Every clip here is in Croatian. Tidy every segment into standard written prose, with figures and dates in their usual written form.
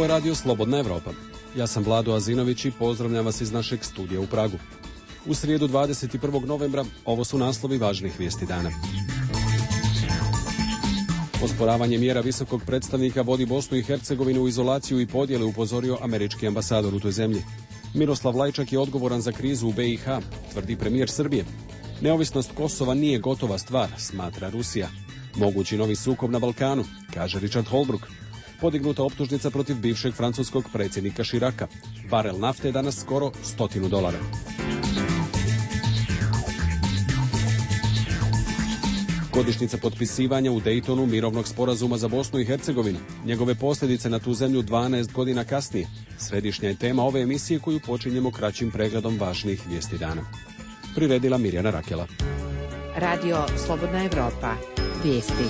Ovo je radio Slobodna Evropa. Ja sam Vlado Azinović i pozdravljam vas iz našeg studija u Pragu. U srijedu 21. novembra ovo su naslovi važnih vijesti dana. Osporavanje mjera visokog predstavnika vodi Bosnu i Hercegovinu u izolaciju i podjele, upozorio američki ambasador u toj zemlji. Miroslav Lajčak je odgovoran za krizu u BiH, tvrdi premijer Srbije. Neovisnost Kosova nije gotova stvar, smatra Rusija. Mogući novi sukob na Balkanu, kaže Richard Holbrooke. Podignuta optužnica protiv bivšeg francuskog predsjednika Širaka. Barel nafte je danas skoro $100. Godišnjica potpisivanja u Daytonu mirovnog sporazuma za Bosnu i Hercegovinu. Njegove posljedice na tu zemlju 12 godina kasnije. Središnja je tema ove emisije koju počinjemo kraćim pregledom važnih vijesti dana. Priredila Mirjana Rakela. Radio Slobodna Evropa. Vijesti.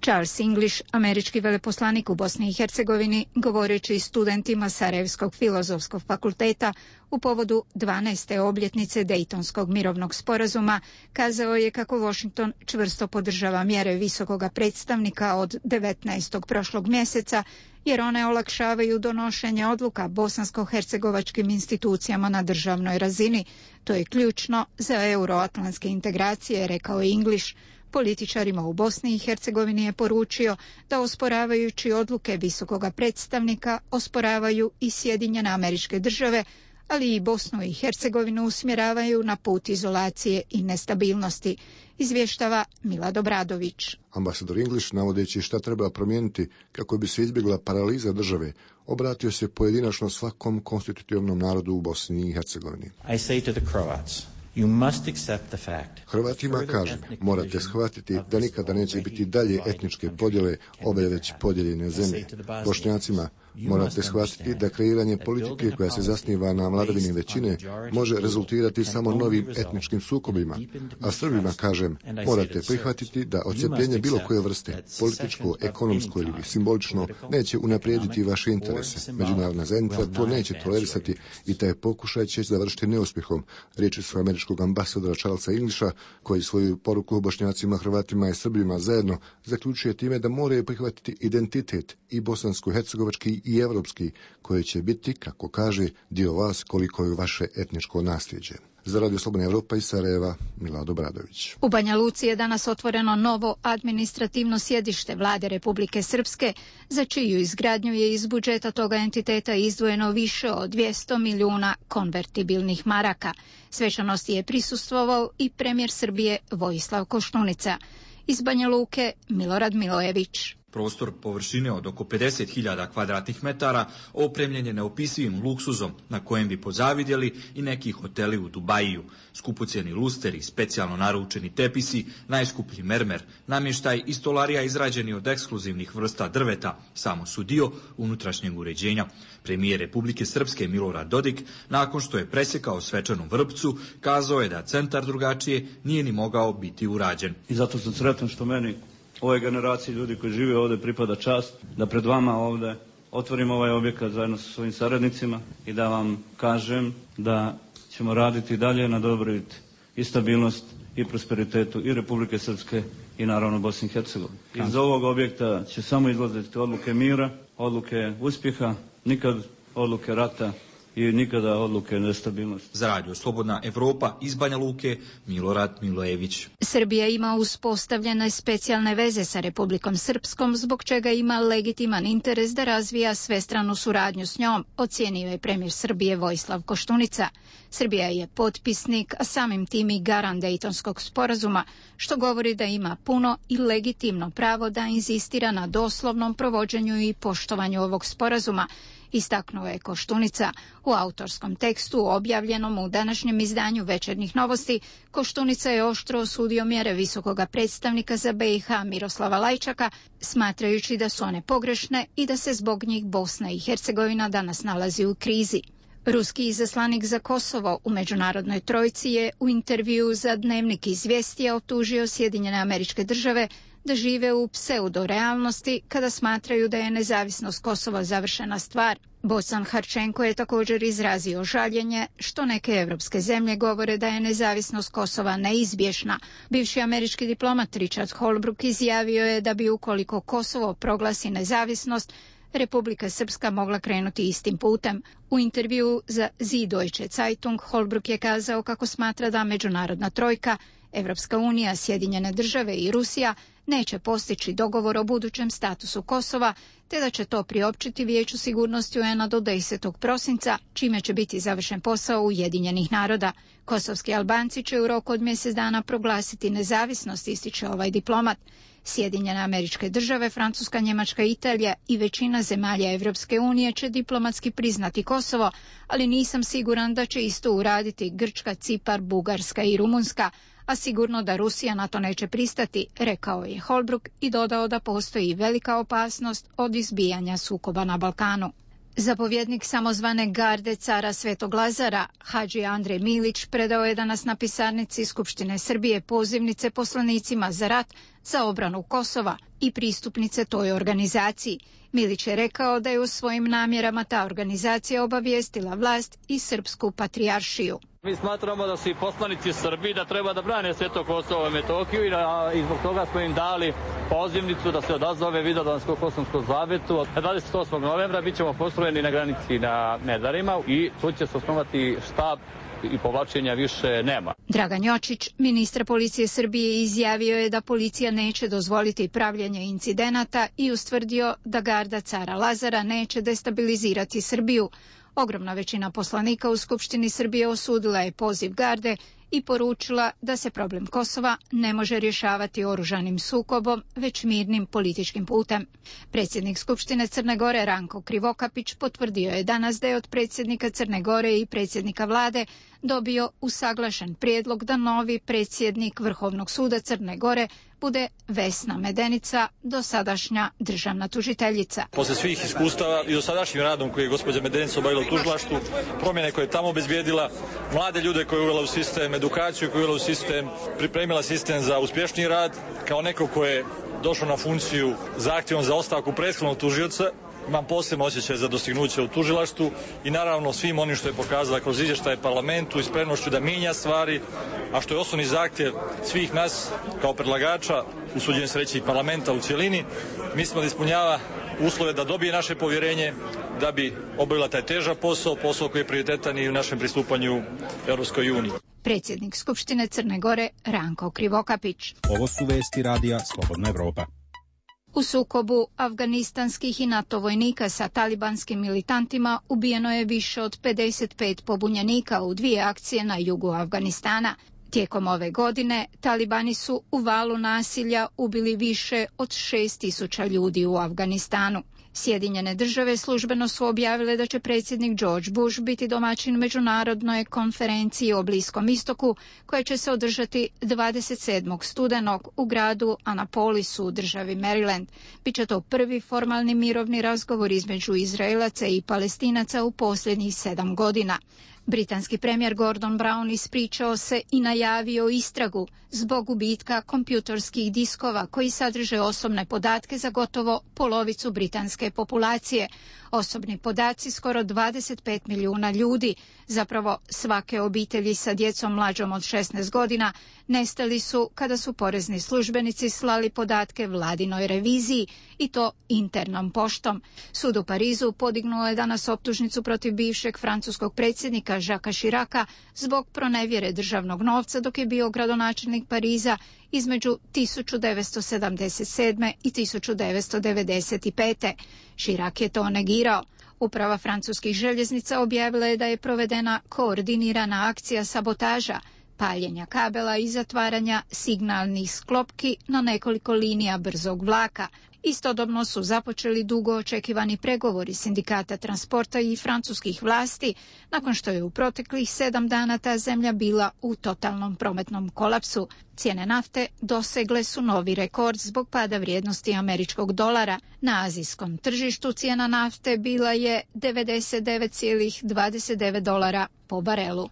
Charles English, američki veleposlanik u Bosni i Hercegovini, govoreći studentima Sarajevskog filozofskog fakulteta u povodu 12. obljetnice Dejtonskog mirovnog sporazuma, kazao je kako Washington čvrsto podržava mjere visokoga predstavnika od 19. prošlog mjeseca, jer one olakšavaju donošenje odluka bosansko-hercegovačkim institucijama na državnoj razini. To je ključno za euroatlantske integracije, rekao je English. Političarima u Bosni i Hercegovini je poručio da osporavajući odluke visokoga predstavnika osporavaju i Sjedinjene Američke Države, ali i Bosnu i Hercegovinu usmjeravaju na put izolacije i nestabilnosti, izvještava Milad Obradović. Ambasador English, navodeći šta treba promijeniti kako bi se izbjegla paraliza države, obratio se pojedinačno svakom konstitutivnom narodu u Bosni i Hercegovini. I say to the Croats, you must accept the fact. Hrvatima kažem, morate shvatiti da nikada neće biti dalje etničke podjele ove već podijeljene zemlje. Bošnjacima morate shvatiti da kreiranje politike koja se zasniva na vladavini većine može rezultirati samo novim etničkim sukobima. A Srbima kažem, morate prihvatiti da odcepljenje bilo koje vrste, političko, ekonomsko ili simbolično, neće unaprijediti vaše interese. Međunarodna zajednica to neće tolerisati i taj pokušaj će završiti neuspjehom. Riječi su američkog ambasadora Charlesa Englisha, koji svoju poruku Bošnjacima, Hrvatima i Srbima zajedno zaključuje time da moraju prihvatiti identitet i bosansko-hercegovački i evropski, koji će biti, kako kaže, dio vas koliko je vaše etničko nasljeđe. Za Radio Slobodna Evropa iz Sarajeva, Milad Obradović. U Banja Luci je danas otvoreno novo administrativno sjedište Vlade Republike Srpske, za čiju izgradnju je iz budžeta toga entiteta izdvojeno više od 200 milijuna konvertibilnih maraka. Svečanosti je prisustvovao i premijer Srbije Vojislav Koštunica. Iz Banja Luke, Milorad Milojević. Prostor površine od oko 50.000 kvadratnih metara opremljen je neopisivim luksuzom na kojem bi pozavidjeli i neki hoteli u Dubajiju. Skupocjeni lusteri, specijalno naručeni tepisi, najskuplji mermer, namještaj i stolarija izrađeni od ekskluzivnih vrsta drveta samo su dio unutrašnjeg uređenja. Premijer Republike Srpske Milorad Dodik, nakon što je presjekao svečanu vrpcu, kazao je da centar drugačije nije ni mogao biti urađen. I zato sam sretan što meni, ovoj generaciji ljudi koji žive ovdje, pripada čast da pred vama ovdje otvorim ovaj objekat zajedno sa svojim saradnicima i da vam kažem da ćemo raditi dalje na dobrobit i stabilnost i prosperitetu i Republike Srpske i naravno Bosne i Hercegovine. Iz ovog objekta će samo izlaziti odluke mira, odluke uspjeha, nikad odluke rata i nikada odluke nestabilnosti. Za Radio Slobodna Evropa iz Banja Luke, Milorad Milojević. Srbija ima uspostavljene specijalne veze sa Republikom Srpskom, zbog čega ima legitiman interes da razvija svestranu suradnju s njom, ocijenio je premijer Srbije Vojislav Koštunica. Srbija je potpisnik, a samim tim i garant Dejtonskog sporazuma, što govori da ima puno i legitimno pravo da inzistira na doslovnom provođenju i poštovanju ovog sporazuma, istaknuo je Koštunica. U autorskom tekstu objavljenom u današnjem izdanju Večernjih novosti, Koštunica je oštro osudio mjere visokoga predstavnika za BiH Miroslava Lajčaka, smatrajući da su one pogrešne i da se zbog njih Bosna i Hercegovina danas nalazi u krizi. Ruski izaslanik za Kosovo u međunarodnoj trojci je u intervjuu za Dnevnik izvijestija optužio Sjedinjene Američke Države da žive u pseudorealnosti kada smatraju da je nezavisnost Kosova završena stvar. Bosan Harčenko je također izrazio žaljenje što neke evropske zemlje govore da je nezavisnost Kosova neizbježna. Bivši američki diplomat Richard Holbrooke izjavio je da bi ukoliko Kosovo proglasi nezavisnost, Republika Srpska mogla krenuti istim putem. U intervjuu za Süddeutsche Zeitung Holbrooke je kazao kako smatra da međunarodna trojka, Evropska unija, Sjedinjene države i Rusija neće postići dogovor o budućem statusu Kosova, te da će to priopćiti Vijeću sigurnosti UN-a do 10. prosinca, čime će biti završen posao Ujedinjenih naroda. Kosovski Albanci će u roku od mjesec dana proglasiti nezavisnost, ističe ovaj diplomat. Sjedinjene Američke države, Francuska, Njemačka, Italija i većina zemalja Evropske unije će diplomatski priznati Kosovo, ali nisam siguran da će isto uraditi Grčka, Cipar, Bugarska i Rumunjska, a sigurno da Rusija na to neće pristati, rekao je Holbrooke i dodao da postoji velika opasnost od izbijanja sukoba na Balkanu. Zapovjednik samozvane garde cara Svetog Lazara, Hadži Andrej Milić, predao je danas na pisarnici Skupštine Srbije pozivnice poslanicima za rat za obranu Kosova i pristupnice toj organizaciji. Milić je rekao da je u svojim namjerama ta organizacija obavijestila vlast i Srpsku patrijaršiju. Mi smatramo da su i poslanici Srbiji da treba da brane Sveto Kosovo i Metohiju i zbog toga smo im dali pozivnicu da se odazove Vidovdansko-Kosovskom zavetu. 28. novembra bit ćemo postrojeni na granici na Medarima i tu će se osnovati štab i povlačenja više nema. Dragan Jočić, ministar policije Srbije, izjavio je da policija neće dozvoliti pravljenje incidenata i ustvrdio da garda cara Lazara neće destabilizirati Srbiju. Ogromna većina poslanika u Skupštini Srbije osudila je poziv garde i poručila da se problem Kosova ne može rješavati oružanim sukobom, već mirnim političkim putem. Predsjednik Skupštine Crne Gore Ranko Krivokapić potvrdio je danas da je od predsjednika Crne Gore i predsjednika vlade dobio usaglašen prijedlog da novi predsjednik Vrhovnog suda Crne Gore bude Vesna Medenica, dosadašnja državna tužiteljica. Posle svih iskustava i dosadašnjim radom koji je gospođa Medenica obavila u tužilaštvu, promjene koje je tamo obezbijedila, mlade ljude koje je uvela u sistem, edukaciju koju je uvela u sistem, pripremila sistem za uspješniji rad, kao neko ko je došao na funkciju zahtjevom za ostavku prethodnog tužioca, imam posebno osjećaj za dostignuće u tužilaštvu i naravno svim onim što je pokazala kroz izvještaje parlamentu i spremnošću da mijenja stvari, a što je osnovni zahtjev svih nas kao predlagača, usuđujem se reći i parlamenta u cjelini, mislimo da ispunjava uslove da dobije naše povjerenje, da bi obavila taj težak posao koji je prioritetan i u našem pristupanju Europskoj uniji. Predsjednik Skupštine Crne Gore Ranko Krivokapić. Ovo su vesti radija Slobodna Evropa. U sukobu afganistanskih i NATO vojnika sa talibanskim militantima ubijeno je više od 55 pobunjenika u 2 akcije na jugu Afganistana. Tijekom ove godine talibani su u valu nasilja ubili više od 6.000 ljudi u Afganistanu. Sjedinjene države službeno su objavile da će predsjednik George Bush biti domaćin međunarodnoj konferenciji o Bliskom istoku koja će se održati 27. studenog u gradu Annapolisu u državi Maryland. Biće to prvi formalni mirovni razgovor između Izraelaca i Palestinaca u posljednjih 7 godina. Britanski premijer Gordon Brown ispričao se i najavio istragu zbog gubitka kompjutorskih diskova koji sadrže osobne podatke za gotovo polovicu britanske populacije. Osobni podaci skoro 25 milijuna ljudi, zapravo svake obitelji sa djecom mlađom od 16 godina, nestali su kada su porezni službenici slali podatke vladinoj reviziji i to internom poštom. Sud u Parizu podignuo je danas optužnicu protiv bivšeg francuskog predsjednika Jacquesa Chiraca zbog pronevjere državnog novca dok je bio gradonačelnik Pariza između 1977. i 1995. Chirac je to negirao. Uprava francuskih željeznica objavila je da je provedena koordinirana akcija sabotaža, paljenja kabela i zatvaranja signalnih sklopki na nekoliko linija brzog vlaka. Istodobno su započeli dugo očekivani pregovori sindikata transporta i francuskih vlasti, nakon što je u proteklih 7 dana ta zemlja bila u totalnom prometnom kolapsu. Cijene nafte dosegle su novi rekord zbog pada vrijednosti američkog dolara. Na azijskom tržištu cijena nafte bila je $99,29 po barelu.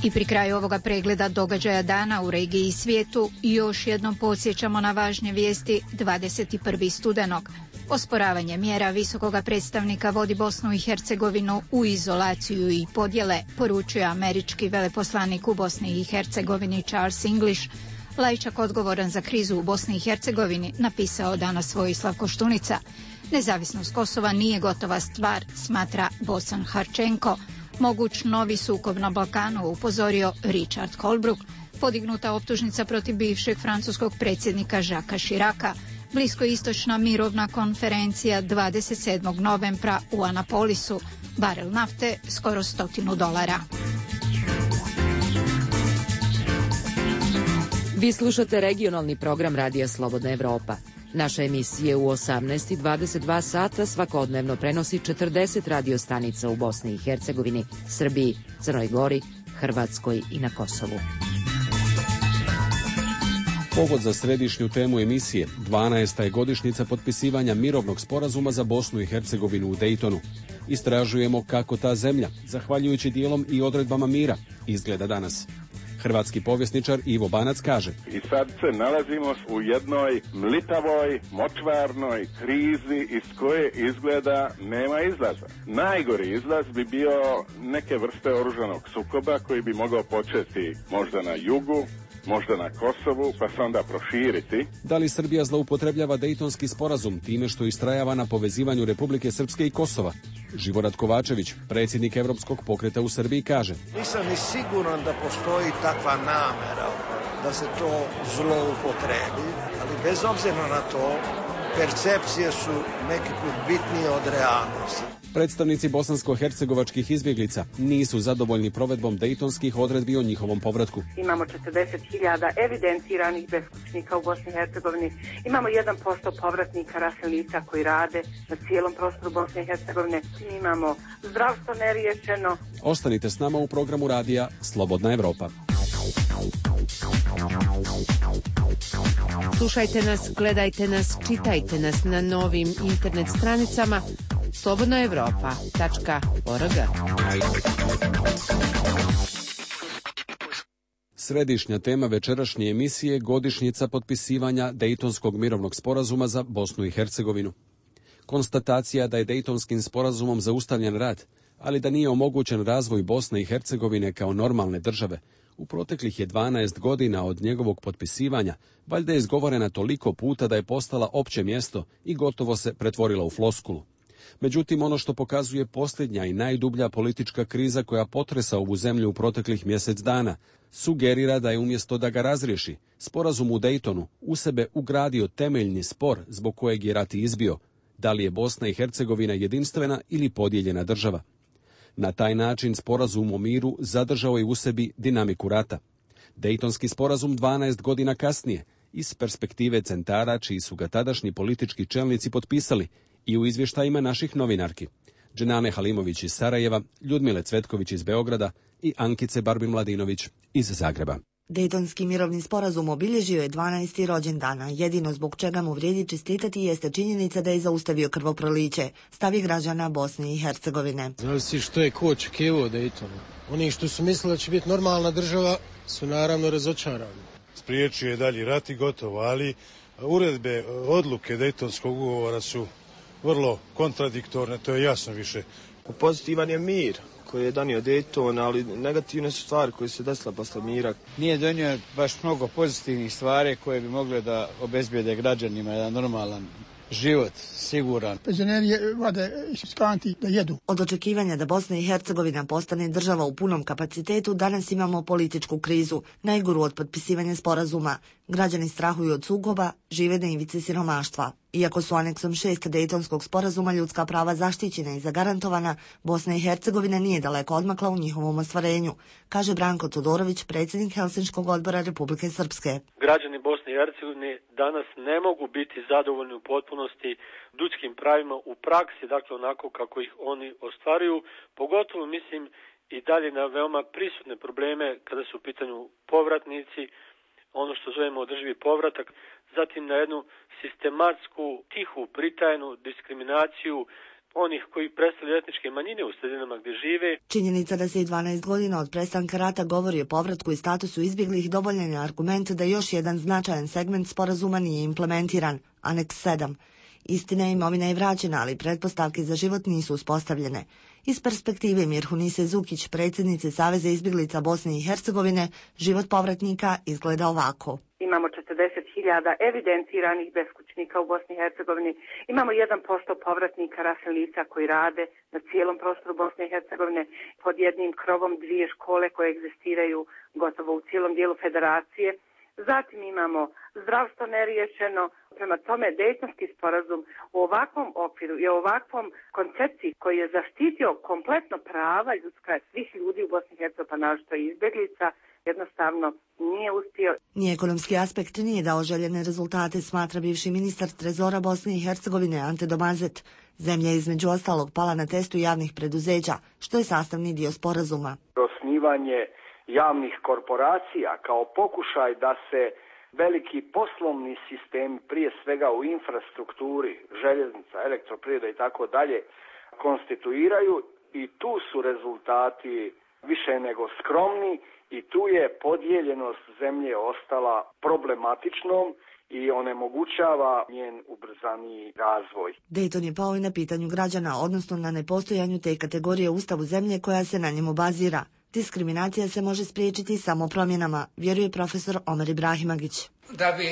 I pri kraju ovoga pregleda događaja dana u regiji i svijetu još jednom podsjećamo na važne vijesti 21. studenog. Osporavanje mjera visokoga predstavnika vodi Bosnu i Hercegovinu u izolaciju i podjele, poručuje američki veleposlanik u Bosni i Hercegovini Charles English. Lajčak, odgovoran za krizu u Bosni i Hercegovini, napisao danas Vojislav Koštunica. Nezavisnost Kosova nije gotova stvar, smatra Bosan Harčenko. Moguć novi sukob na Balkanu, upozorio Richard Holbrooke. Podignuta optužnica protiv bivšeg francuskog predsjednika Jacquesa Chiraca. Bliskoistočna mirovna konferencija 27. novembra u Anapolisu. Barel nafte skoro $100. Vi slušate regionalni program Radija Slobodna Evropa. Naše emisije u 18:22 sata svakodnevno prenosi 40 radiostanica u Bosni i Hercegovini, Srbiji, Crnoj Gori, Hrvatskoj i na Kosovu. Povod za središnju temu emisije, 12. je godišnjica potpisivanja mirovnog sporazuma za Bosnu i Hercegovinu u Daytonu. Istražujemo kako ta zemlja, zahvaljujući dijelom i odredbama mira, izgleda danas. Hrvatski povjesničar Ivo Banac kaže: I sad se nalazimo u jednoj mlitavoj, močvarnoj krizi iz koje izgleda nema izlaza. Najgori izlaz bi bio neke vrste oružanog sukoba koji bi mogao početi možda na jugu, možda na Kosovu, pa se onda proširiti. Da li Srbija zloupotrebljava Dejtonski sporazum time što istrajava na povezivanju Republike Srpske i Kosova? Živorad Kovačević, predsjednik Europskog pokreta u Srbiji, kaže: Nisam ni siguran da postoji takva namera da se to zloupotrebi, ali bez obzira na to, percepcije su neki put bitnije od realnosti. Predstavnici bosansko-hercegovačkih izbjeglica nisu zadovoljni provedbom dejtonskih odredbi o njihovom povratku. Imamo 40.000 evidentiranih beskućnika u Bosni i Hercegovini. Imamo 1% povratnika raseljenika koji rade na cijelom prostoru Bosne i Hercegovine. Imamo zdravstvo neriješeno. Ostanite s nama u programu radija Slobodna Evropa. Slušajte nas, gledajte nas, čitajte nas na novim internet stranicama slobodnaevropa.org. Središnja tema večerašnje emisije je godišnjica potpisivanja Dejtonskog mirovnog sporazuma za Bosnu i Hercegovinu. Konstatacija da je Dejtonskim sporazumom zaustavljen rat, ali da nije omogućen razvoj Bosne i Hercegovine kao normalne države, u proteklih je 12 godina od njegovog potpisivanja, valjda je izgovorena toliko puta da je postala opće mjesto i gotovo se pretvorila u floskulu. Međutim, ono što pokazuje posljednja i najdublja politička kriza koja potresa ovu zemlju u proteklih mjesec dana, sugerira da je umjesto da ga razriješi, sporazum u Dejtonu u sebe ugradio temeljni spor zbog kojeg je rat izbio, da li je Bosna i Hercegovina jedinstvena ili podijeljena država. Na taj način sporazum o miru zadržao je u sebi dinamiku rata. Dejtonski sporazum 12 godina kasnije, iz perspektive centara čiji su ga tadašnji politički čelnici potpisali, i u izvještajima naših novinarki, Dženane Halimović iz Sarajeva, Ljudmile Cvetković iz Beograda i Ankice Barbin-Mladinović iz Zagreba. Dejtonski mirovni sporazum obilježio je 12. rođendana. Jedino zbog čega mu vrijedi čestitati jeste činjenica da je zaustavio krvoproliće, stav je građana Bosne i Hercegovine. Zavisi što je ko očekivao Dejtonu. Oni što su mislili da će biti normalna država su naravno razočarani. Spriječio je dalji rat i gotovo, ali uredbe, odluke Dejtonskog ugovora su vrlo kontradiktorne, to je jasno više. Pozitivan je mir koji je donio Dejton, ali negativne su stvari koje se desile posle mira. Nije donio baš mnogo pozitivnih stvari koje bi mogle da obezbijede građanima jedan normalan život, siguran. Penzioneri vade iz kanti da jedu. Od očekivanja da Bosna i Hercegovina postane država u punom kapacitetu, danas imamo političku krizu, najgoru od potpisivanja sporazuma. Građani strahuju od sukoba, žive na ivici siromaštva. Iako su aneksom 6 Dejtonskog sporazuma ljudska prava zaštićena i zagarantovana, Bosna i Hercegovina nije daleko odmakla u njihovom ostvarenju, kaže Branko Todorović, predsjednik Helsinškog odbora Republike Srpske. Građani Bosne i Hercegovine danas ne mogu biti zadovoljni u potpunosti ljudskim pravima u praksi, dakle onako kako ih oni ostvaruju, pogotovo mislim i dalje na veoma prisutne probleme kada su u pitanju povratnici, ono što zovemo održivi povratak, zatim na jednu sistematsku, tihu, pritajnu diskriminaciju onih koji predstavljaju etničke manjine u sredinama gdje žive. Činjenica da se i 12 godina od prestanka rata govori o povratku i statusu izbjeglih dovoljan je argument da još jedan značajan segment sporazuma nije implementiran, Aneks 7. Istina, imovina je vraćena, ali pretpostavke za život nisu uspostavljene. Iz perspektive Mirhunise Zukić, predsjednice Saveza izbjeglica Bosne i Hercegovine, život povratnika izgleda ovako. Imamo 40.000 evidentiranih beskućnika u Bosni i Hercegovini. Imamo 1% povratnika raseljenika koji rade na cijelom prostoru Bosne i Hercegovine pod jednim krovom, 2 škole koje egzistiraju gotovo u cijelom dijelu federacije. Zatim imamo zdravstvo neriješeno. Prema tome, Dejtonski sporazum u ovakvom okviru i u ovakvom koncepciji koji je zaštitio kompletno prava ljudska svih ljudi u Bosni i Hercegovini, pa naročito i izbjeglica, jednostavno nije uspio. Ni ekonomski aspekt nije dao željene rezultate, smatra bivši ministar trezora Bosne i Hercegovine Ante Domazet. Zemlja je između ostalog pala na testu javnih preduzeća, što je sastavni dio sporazuma. Osnivanje javnih korporacija kao pokušaj da se veliki poslovni sistem, prije svega u infrastrukturi, željeznica, elektroprivreda i tako dalje, konstituiraju i tu su rezultati više nego skromni i tu je podijeljenost zemlje ostala problematičnom i onemogućava njen ubrzaniji razvoj. Dejton je pao i na pitanju građana, odnosno na nepostojanju te kategorije u ustavu zemlje koja se na njemu bazira. Diskriminacija se može spriječiti samo promjenama, vjeruje profesor Omer Ibrahimagić. Da bi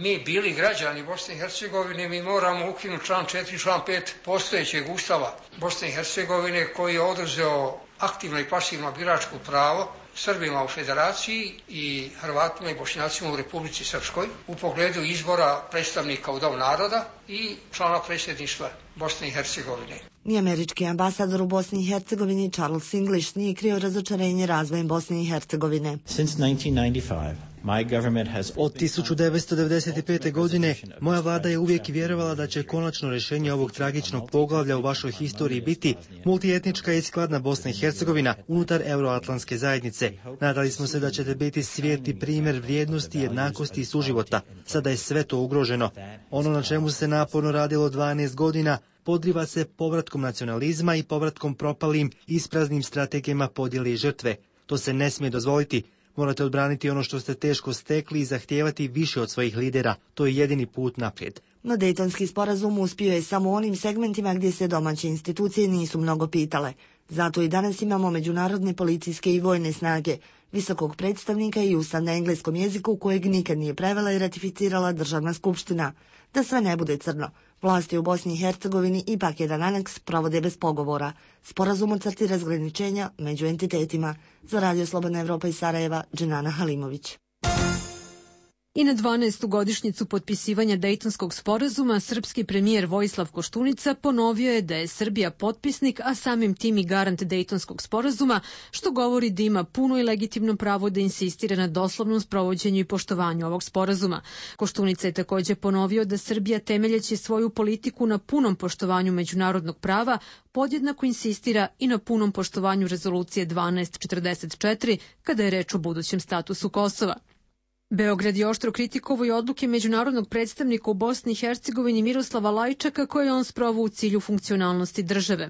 mi bili građani Bosne i Hercegovine, mi moramo ukinuti član 4, član 5 postojećeg ustava Bosne i Hercegovine koji je oduzeo aktivno i pasivno biračko pravo Srbima u federaciji i Hrvatima i Bošnjacima u Republici Srpskoj u pogledu izbora predstavnika u Dom naroda i člana predsjedništva Bosne i Hercegovine. Ni američki ambasador u Bosni i Hercegovini Charles English nije krio razočarenje razvojem Bosne i Hercegovine. Od 1995. godine moja vlada je uvijek vjerovala da će konačno rješenje ovog tragičnog poglavlja u vašoj historiji biti multietnička i skladna Bosna i Hercegovina unutar euroatlantske zajednice. Nadali smo se da ćete biti svijetli primjer vrijednosti, jednakosti i suživota. Sada je sve to ugroženo. Ono na čemu se naporno radilo 12 godina podriva se povratkom nacionalizma i povratkom propalim ispraznim strategijama podjele i žrtve. To se ne smije dozvoliti. Morate odbraniti ono što ste teško stekli i zahtijevati više od svojih lidera. To je jedini put naprijed. No Dejtonski sporazum uspio je samo u onim segmentima gdje se domaće institucije nisu mnogo pitale. Zato i danas imamo međunarodne policijske i vojne snage, visokog predstavnika i ustav na engleskom jeziku kojeg nikad nije prevela i ratificirala državna skupština. Da sve ne bude crno, vlasti u Bosni i Hercegovini ipak jedan aneks provode bez pogovora. Sporazum o crti razgraničenja među entitetima. Za Radio Slobodna Evropa iz Sarajeva, Dženana Halimović. I na 12. godišnjicu potpisivanja Dejtonskog sporazuma srpski premijer Vojislav Koštunica ponovio je da je Srbija potpisnik, a samim tim i garant Dejtonskog sporazuma, što govori da ima puno i legitimno pravo da insistira na doslovnom sprovođenju i poštovanju ovog sporazuma. Koštunica je također ponovio da Srbija, temeljeći svoju politiku na punom poštovanju međunarodnog prava, podjednako insistira i na punom poštovanju rezolucije 1244 kada je reč o budućem statusu Kosova. Beograd je oštro kritikovao i odluke međunarodnog predstavnika u Bosni i Hercegovini Miroslava Lajčaka koje je on sproveo u cilju funkcionalnosti države.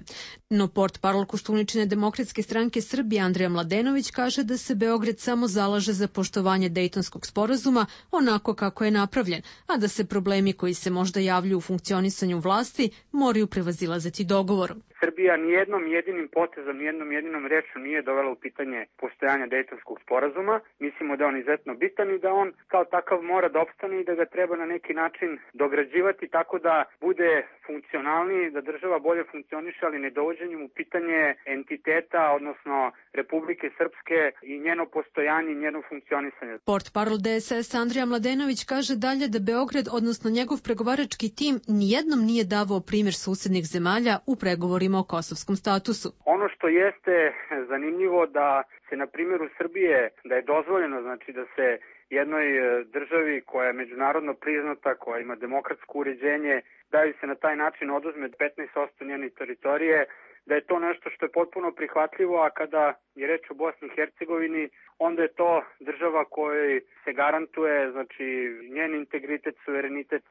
No portparol Koštuničine demokratske stranke Srbije Andrija Mladenović kaže da se Beograd samo zalaže za poštovanje Dejtonskog sporazuma onako kako je napravljen, a da se problemi koji se možda javljaju u funkcionisanju vlasti moraju prevazilaziti dogovorom. Srbija nijednom jedinim potezom, nijednom jedinom rečju nije dovela u pitanje postojanja Dejtonskog sporazuma. Mislimo da je on izuzetno bitan i da on kao takav mora da opstane i da ga treba na neki način dograđivati tako da bude funkcionalniji, da država bolje funkcioniše, ali ne dovođenjem u pitanje entiteta, odnosno Republike Srpske i njeno postojanje i njeno funkcionisanje. Portparol DSS Andrija Mladenović kaže dalje da Beograd, odnosno njegov pregovarački tim, nijednom nije davao primjer susednih zemalja u pregovorima o kosovskom statusu. Ono što jeste zanimljivo da se na primjeru Srbije, da je dozvoljeno, znači da se jednoj državi koja je međunarodno priznata, koja ima demokratsko uređenje, da ju se na taj način oduzme 15% njene teritorije, da je to nešto što je potpuno prihvatljivo, a kada je reč o Bosni i Hercegovini, onda je to država kojoj se garantuje, znači, njen integritet, suverenitet,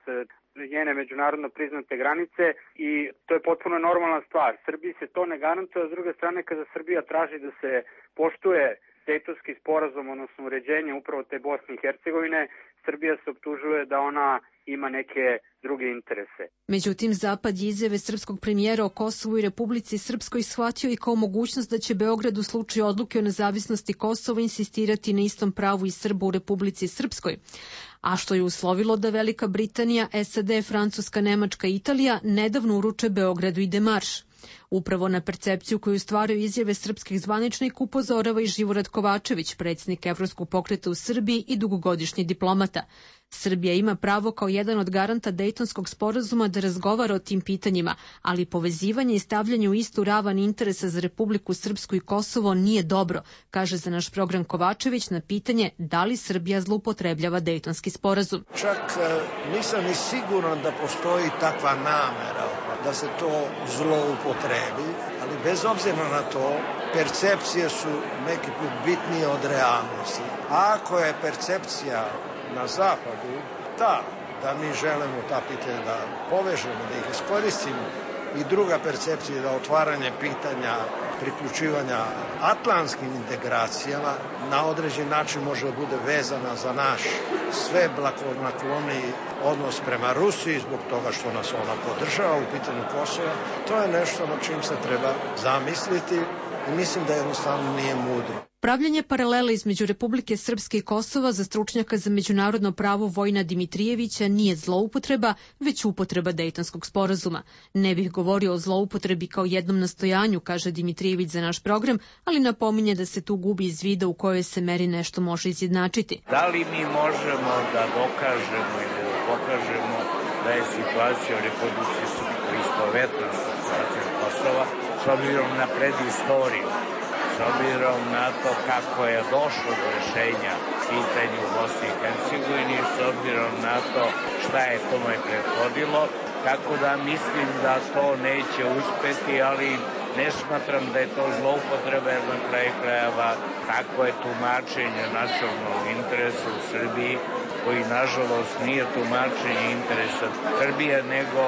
njene međunarodno priznate granice i to je potpuno normalna stvar. Srbiji se to ne garantuje, a s druge strane kada Srbija traži da se poštuje Dejtonski sporazum, odnosno uređenje upravo te Bosne i Hercegovine, Srbija se optužuje da ona ima neke druge interese. Međutim, Zapad je izjave srpskog premijera o Kosovu i Republici Srpskoj shvatio i kao mogućnost da će Beograd u slučaju odluke o nezavisnosti Kosova insistirati na istom pravu i Srba u Republici Srpskoj, a što je uslovilo da Velika Britanija, SAD, Francuska, Nemačka i Italija nedavno uruče Beogradu i demarš. Upravo na percepciju koju stvaraju izjave srpskih zvaničnika upozorava i Živorad Kovačević, predsjednik Evropskog pokreta u Srbiji i dugogodišnji diplomata. Srbija ima pravo kao jedan od garanta Dejtonskog sporazuma da razgovara o tim pitanjima, ali povezivanje i stavljanje u istu ravan interesa za Republiku Srpsku i Kosovo nije dobro, kaže za naš program Kovačević na pitanje da li Srbija zloupotrebljava Dejtonski sporazum. Čak nisam ni siguran da postoji takva namera da se to zloupotrebi, ali bez obzira na to, percepcije su neki put bitnije od realnosti. A ako je percepcija na zapadu ta da mi želimo ta pitanja da povežemo, da ih iskoristimo, i druga percepcija da otvaranje pitanja priključivanja atlantskim integracijama na određen način može da bude vezana za naš sve blagonakloniji odnos prema Rusiji zbog toga što nas ona podržava u pitanju Kosova. To je nešto na čim se treba zamisliti i mislim da jednostavno nije mudro. Pravljanje paralela između Republike Srpske i Kosova za stručnjaka za međunarodno pravo Vojina Dimitrijevića nije zloupotreba, već upotreba Dejtonskog sporazuma. Ne bih govorio o zloupotrebi kao jednom nastojanju, kaže Dimitrijević za naš program, ali napominje da se tu gubi iz vida u kojoj se meri nešto može izjednačiti. Da li mi možemo da dokažemo ili da pokažemo da je situacija u Republici Srpskoj istovetna sa situacijom Kosova s obzirom na predistoriju? S obzirom na to kako je došlo do rešenja pitanja u Bosni i Hercegovini, s obzirom na to šta je tome prethodilo, tako da mislim da to neće uspeti, ali ne smatram da je to zloupotreba, jer na kraju krajeva tako je tumačenje nacionalnog interesa u Srbiji, koji nažalost nije tumačenje interesa Srbije, nego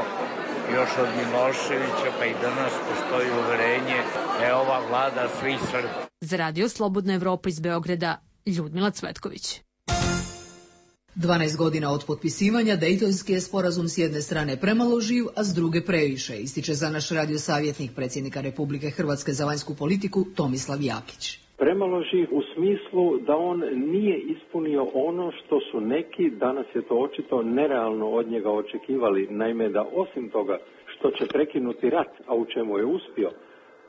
još od Miloševića, pa i danas postoji uverenje da je ova vlada svih Srba. Za Radio Slobodna Evropa iz Beograda, Ljudmila Cvetković. 12 godina od potpisivanja, Dejtonski je sporazum s jedne strane premalo živ, a s druge previše, ističe za naš radio savjetnik predsjednika Republike Hrvatske za vanjsku politiku Tomislav Jakić. Premalo živ u smislu da on nije ispunio ono što su neki, danas je to očito, nerealno od njega očekivali. Naime, da osim toga što će prekinuti rat, a u čemu je uspio,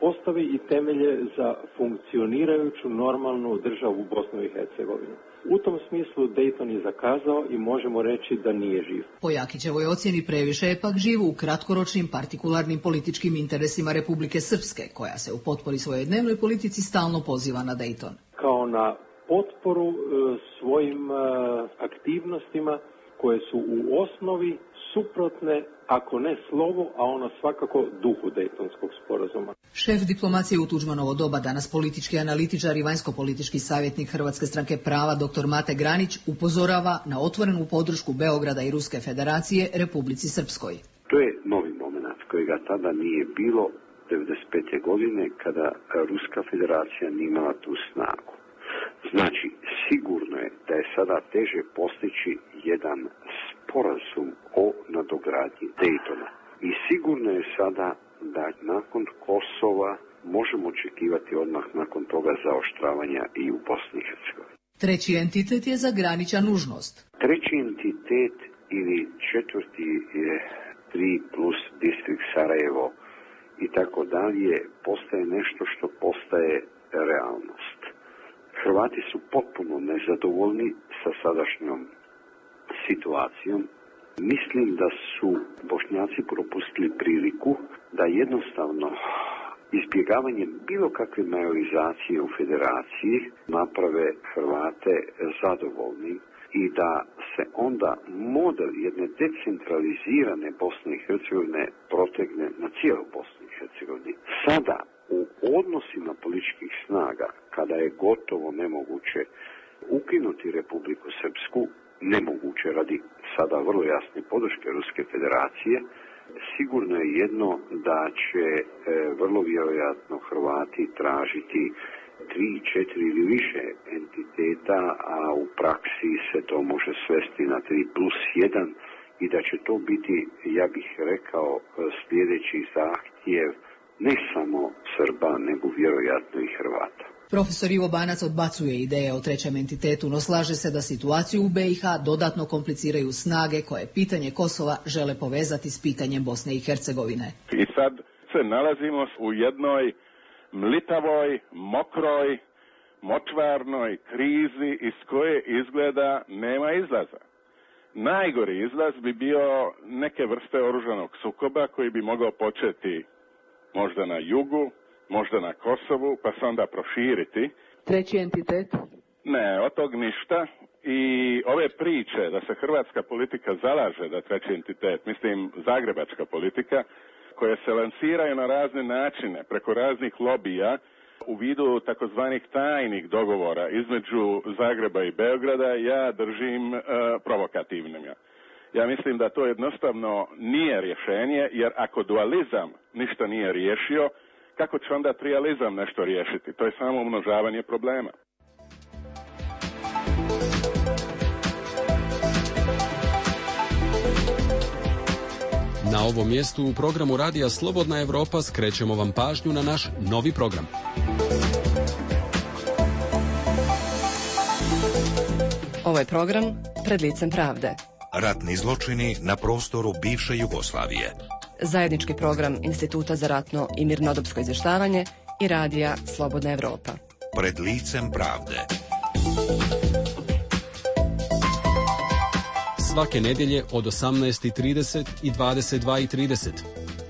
postavi i temelje za funkcionirajuću normalnu državu u Bosnu i Hercegovini. U tom smislu Dejton je zakazao i možemo reći da nije živ. Po Jakićevoj ocjeni previše je pak živ u kratkoročnim partikularnim političkim interesima Republike Srpske, koja se u potpori svojoj dnevnoj politici stalno poziva na Dejton. Kao na potporu svojim aktivnostima koje su u osnovi suprotne, ako ne slovu, a ono svakako duhu Dejtonskog sporazuma. Šef diplomacije u Tuđmanovo doba, danas politički analitičar i vanjsko-politički savjetnik Hrvatske stranke prava dr. Mate Granić upozorava na otvorenu podršku Beograda i Ruske federacije Republici Srpskoj. To je novi moment kojega tada nije bilo 1995. godine kada Ruska federacija nije imala tu snagu. Znači, sigurno je da je sada teže postići jedan sporazum o nadogradnji Dejtona. I sigurno je sada da nakon Kosova možemo očekivati odmah nakon toga zaoštravanja i u Bosni i Hercegovini. Treći entitet je za Granića nužnost. Treći entitet ili četvrti je 3 plus distrikt Sarajevo i tako dalje postaje nešto što postaje realnost. Hrvati su potpuno nezadovoljni sa sadašnjom situacijom. Mislim da su Bošnjaci propustili priliku da jednostavno izbjegavanjem bilo kakve majorizacije u federaciji naprave Hrvate zadovoljnim i da se onda model jedne decentralizirane Bosne i Hercegovine protegne na cijelu Bosnu i Hercegovini. Sada u odnosima političkih snaga, kada je gotovo nemoguće ukinuti Republiku Srpsku, nemoguće radi sada vrlo jasne podrške Ruske federacije, sigurno je jedno da će vrlo vjerojatno Hrvati tražiti 3, 4 ili više entiteta, a u praksi se to može svesti na 3+1 i da će to biti, ja bih rekao, sljedeći zahtjev ne samo Srba, nego vjerojatno i Hrvata. Profesor Ivo Banac odbacuje ideje o trećem entitetu, no slaže se da situaciju u BiH dodatno kompliciraju snage koje pitanje Kosova žele povezati s pitanjem Bosne i Hercegovine. I sad se nalazimo u jednoj mlitavoj, mokroj, močvarnoj krizi iz koje izgleda nema izlaza. Najgori izlaz bi bio neke vrste oružanog sukoba koji bi mogao početi možda na jugu, možda na Kosovu, pa se onda proširiti. Treći entitet? Ne, od tog ništa. I ove priče da se hrvatska politika zalaže da treći entitet, mislim zagrebačka politika, koje se lansiraju na razne načine, preko raznih lobija, u vidu takozvanih tajnih dogovora između Zagreba i Beograda, ja držim provokativnim. Ja mislim da to jednostavno nije rješenje, jer ako dualizam ništa nije riješio, kako će onda trijalizam nešto riješiti? To je samo umnožavanje problema. Na ovom mjestu u programu Radija Slobodna Evropa skrećemo vam pažnju na naš novi program. Ovo je program Pred licem pravde. Ratni zločini na prostoru bivše Jugoslavije. Zajednički program Instituta za ratno i mirnodopsko izvještavanje i Radija Slobodna Evropa. Pred licem pravde. Svake nedjelje od 18:30 i 22:30.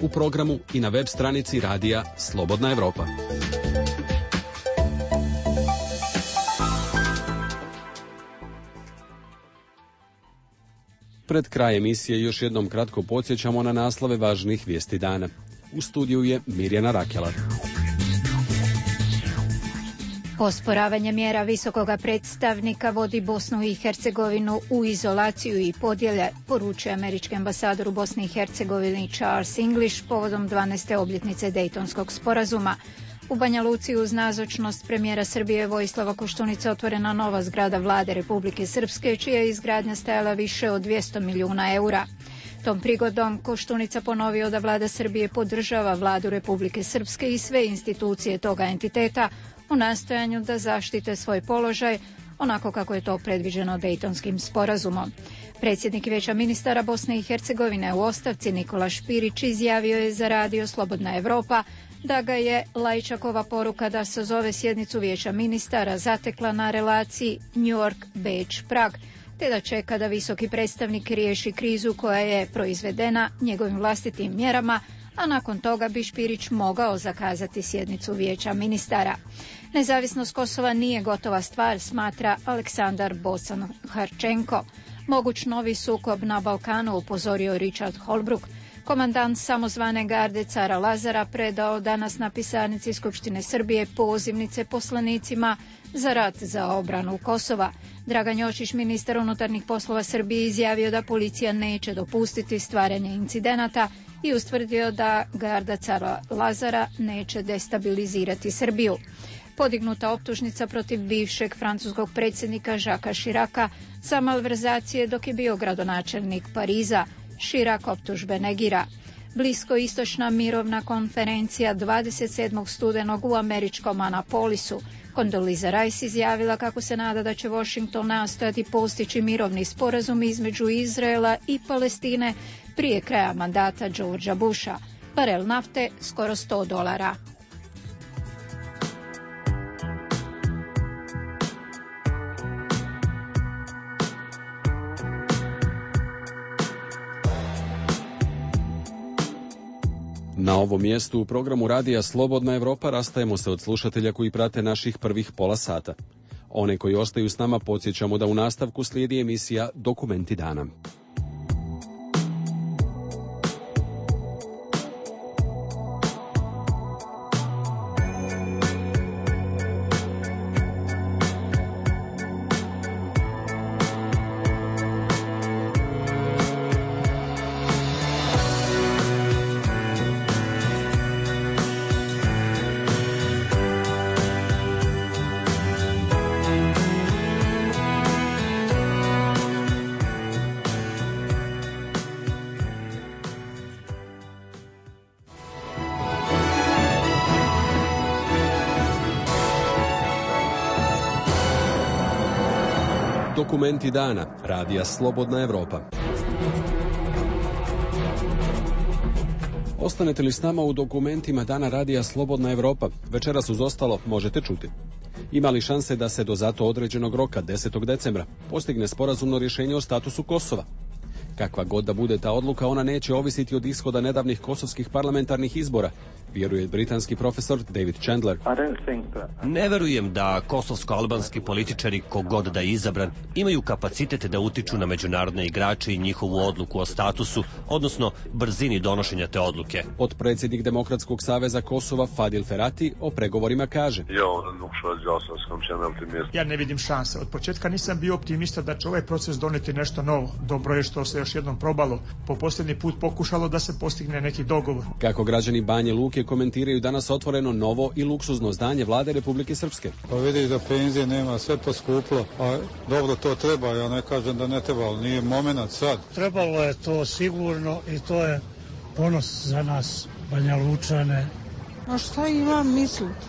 U programu i na web stranici Radija Slobodna Evropa. Pred kraj emisije još jednom kratko podsjećamo na naslove važnih vijesti dana. U studiju je Mirjana Rakelar. Osporavanje mjera visokoga predstavnika vodi Bosnu i Hercegovinu u izolaciju i podjele, poručuje američki ambasador u Bosni i Hercegovini Charles English povodom 12. obljetnice Dejtonskog sporazuma. U Banja Luci uz nazočnost premijera Srbije Vojislava Koštunice otvorena nova zgrada vlade Republike Srpske, čija je izgradnja stajala više od 200 milijuna eura. Tom prigodom Koštunica ponovio da vlada Srbije podržava vladu Republike Srpske i sve institucije toga entiteta u nastojanju da zaštite svoj položaj, onako kako je to predviđeno Dejtonskim sporazumom. Predsjednik Vijeća ministara Bosne i Hercegovine u ostavci Nikola Špirić izjavio je za Radio Slobodna Evropa da ga je Lajčakova poruka da sazove sjednicu Vijeća ministara zatekla na relaciji New York-Beč-Prag, te da čeka da visoki predstavnik riješi krizu koja je proizvedena njegovim vlastitim mjerama, a nakon toga bi Špirić mogao zakazati sjednicu Vijeća ministara. Nezavisnost Kosova nije gotova stvar, smatra Aleksandar Bocan-Harčenko. Moguć novi sukob na Balkanu, upozorio Richard Holbrooke. Komandant samozvane garde cara Lazara predao danas na pisarnici Skupštine Srbije pozivnice poslanicima za rat za obranu Kosova. Dragan Jočić, ministar unutarnjih poslova Srbije, izjavio da policija neće dopustiti stvaranje incidenata i ustvrdio da garda cara Lazara neće destabilizirati Srbiju. Podignuta optužnica protiv bivšeg francuskog predsjednika Žaka Širaka za malverzacije dok je bio gradonačelnik Pariza. Širak optužbe negira. Bliskoistočna mirovna konferencija 27. studenog u američkom Anapolisu. Condoleezza Rice izjavila kako se nada da će Washington nastojati postići mirovni sporazum između Izraela i Palestine prije kraja mandata Georgea Busha. Barel nafte skoro $100. Na ovom mjestu u programu Radija Slobodna Evropa rastajemo se od slušatelja koji prate naših prvih pola sata. One koji ostaju s nama podsjećamo da u nastavku slijedi emisija Dokumenti dana. Dokumenti dana, radija Slobodna Evropa. Ostanete li s nama u dokumentima dana radija Slobodna Evropa? Večeras uz ostalo možete čuti. Ima li šanse da se do zato određenog roka 10. decembra postigne sporazumno rješenje o statusu Kosova? Kakva god da bude ta odluka, ona neće ovisiti od ishoda nedavnih kosovskih parlamentarnih izbora, vjeruje britanski profesor David Chandler. Ne verujem da kosovsko-albanski političari, kogod da je izabran, imaju kapacitet da utiču na međunarodne igrače i njihovu odluku o statusu, odnosno brzini donošenja te odluke. Potpredsjednik Demokratskog saveza Kosova Fadil Ferati o pregovorima kaže: Ja ne vidim šanse. Od početka nisam bio optimista da će ovaj proces doneti nešto novo. Dobro je što se još jednom probalo. Po posljednji put pokušalo da se postigne neki dogovor. Kako građani Banje Luke komentiraju danas otvoreno novo i luksuzno zdanje vlade Republike Srpske. Pa vidiš da penzije nema, sve poskuplo, a dobro to treba, ja ne kažem da ne treba, ali nije moment sad. Trebalo je to sigurno i to je ponos za nas, Banja Lučane. A šta imam misliti?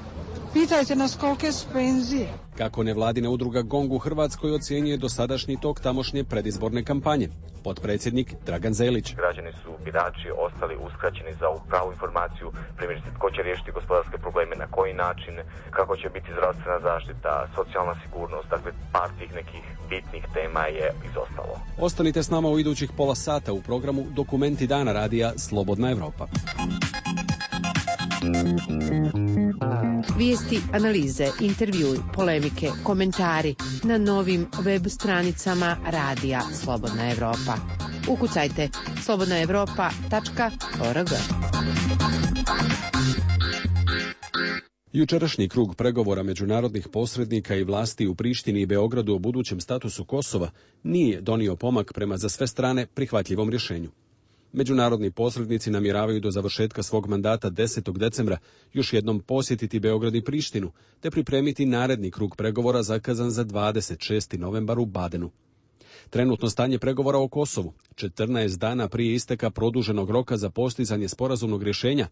Pitajte nas kolike su penzije. Kako nevladina udruga GONG u Hrvatskoj ocjenjuje dosadašnji tok tamošnje predizborne kampanje. Potpredsjednik Dragan Zelić. Građani su, birači, ostali uskraćeni za pravu informaciju, primjerice tko će riješiti gospodarske probleme, na koji način, kako će biti zdravstvena zaštita, socijalna sigurnost, dakle par tih nekih bitnih tema je izostalo. Ostanite s nama u idućih pola sata u programu Dokumenti dana radija Slobodna Evropa. Vijesti, analize, intervjui, polemike, komentari na novim web stranicama radija Slobodna Evropa. Ukucajte slobodnaevropa.org. Jučerašnji krug pregovora međunarodnih posrednika i vlasti u Prištini i Beogradu o budućem statusu Kosova nije donio pomak prema za sve strane prihvatljivom rješenju. Međunarodni posrednici namjeravaju do završetka svog mandata 10. decembra još jednom posjetiti Beograd i Prištinu, te pripremiti naredni krug pregovora zakazan za 26. novembar u Badenu. Trenutno stanje pregovora o Kosovu, 14 dana prije isteka produženog roka za postizanje sporazumnog rješenja,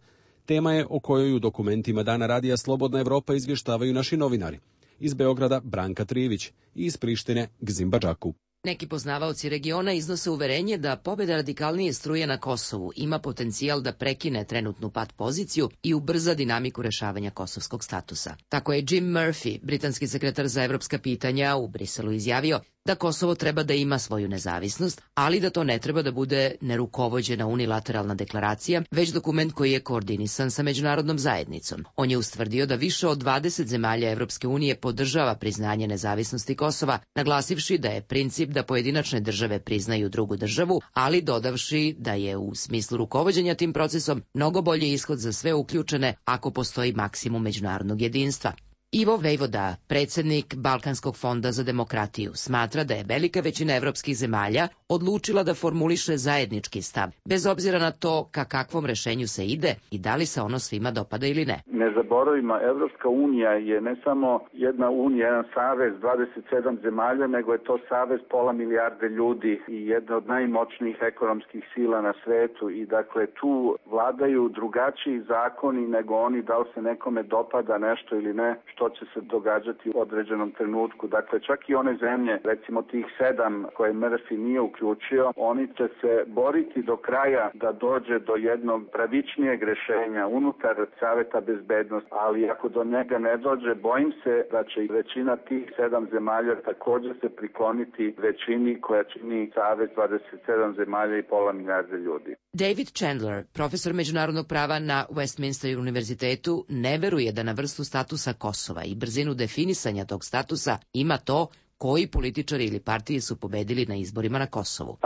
tema je o kojoj u dokumentima dana radija Slobodna Evropa izvještavaju naši novinari. Iz Beograda Branka Trijević i iz Prištine Gzim Badžaku. Neki poznavaoci regiona iznose uverenje da pobjeda radikalnije struje na Kosovu ima potencijal da prekine trenutnu pat poziciju i ubrza dinamiku rešavanja kosovskog statusa. Tako je Jim Murphy, britanski sekretar za evropska pitanja, u Briselu izjavio da Kosovo treba da ima svoju nezavisnost, ali da to ne treba da bude nerukovođena unilateralna deklaracija, već dokument koji je koordinisan sa međunarodnom zajednicom. On je ustvrdio da više od 20 zemalja Evropske unije podržava priznanje nezavisnosti Kosova, naglasivši da je princip da pojedinačne države priznaju drugu državu, ali dodavši da je u smislu rukovođenja tim procesom mnogo bolji ishod za sve uključene ako postoji maksimum međunarodnog jedinstva. Ivo Vejvoda, predsjednik Balkanskog fonda za demokratiju, smatra da je velika većina evropskih zemalja odlučila da formuliše zajednički stav, bez obzira na to ka kakvom rešenju se ide i da li se ono svima dopada ili ne. Ne zaboravimo, Evropska unija je ne samo jedna unija, jedan savez 27 zemalja, nego je to savez pola milijarde ljudi i jedna od najmoćnijih ekonomskih sila na svetu i dakle tu vladaju drugačiji zakoni nego oni da li se nekome dopada nešto ili ne, što će se događati u određenom trenutku. Dakle, čak i one zemlje, recimo tih 7 koje Murphy nije uključio, oni će se boriti do kraja da dođe do jednog pravičnijeg rješenja unutar Saveta bezbednosti, ali ako do njega ne dođe, bojim se da će i većina tih 7 zemalja također se prikloniti većini koja čini Savez 27 zemalja i pola milijarde ljudi. David Chandler, profesor međunarodnog prava na Westminster univerzitetu, ne veruje da na vrstu statusa Kosova i brzinu definisanja tog statusa ima to koji političari ili partije su pobedili na izborima na Kosovu.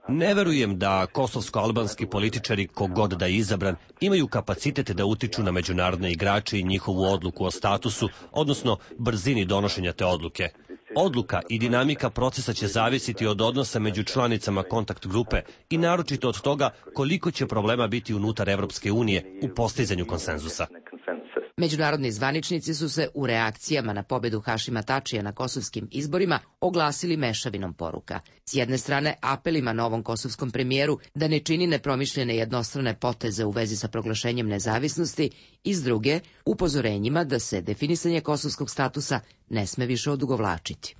Ne verujem da kosovsko-albanski političari, kogod da je izabran, imaju kapacitet da utiču na međunarodne igrače i njihovu odluku o statusu, odnosno brzini donošenja te odluke. Odluka i dinamika procesa će zavisiti od odnosa među članicama kontakt grupe i naročito od toga koliko će problema biti unutar Evropske unije u postizanju konsenzusa. Međunarodni zvaničnici su se u reakcijama na pobedu Hašima Tačija na kosovskim izborima oglasili mešavinom poruka. S jedne strane apelima novom kosovskom premijeru da ne čini nepromišljene jednostrane poteze u vezi sa proglašenjem nezavisnosti i s druge upozorenjima da se definisanje kosovskog statusa ne sme više odugovlačiti.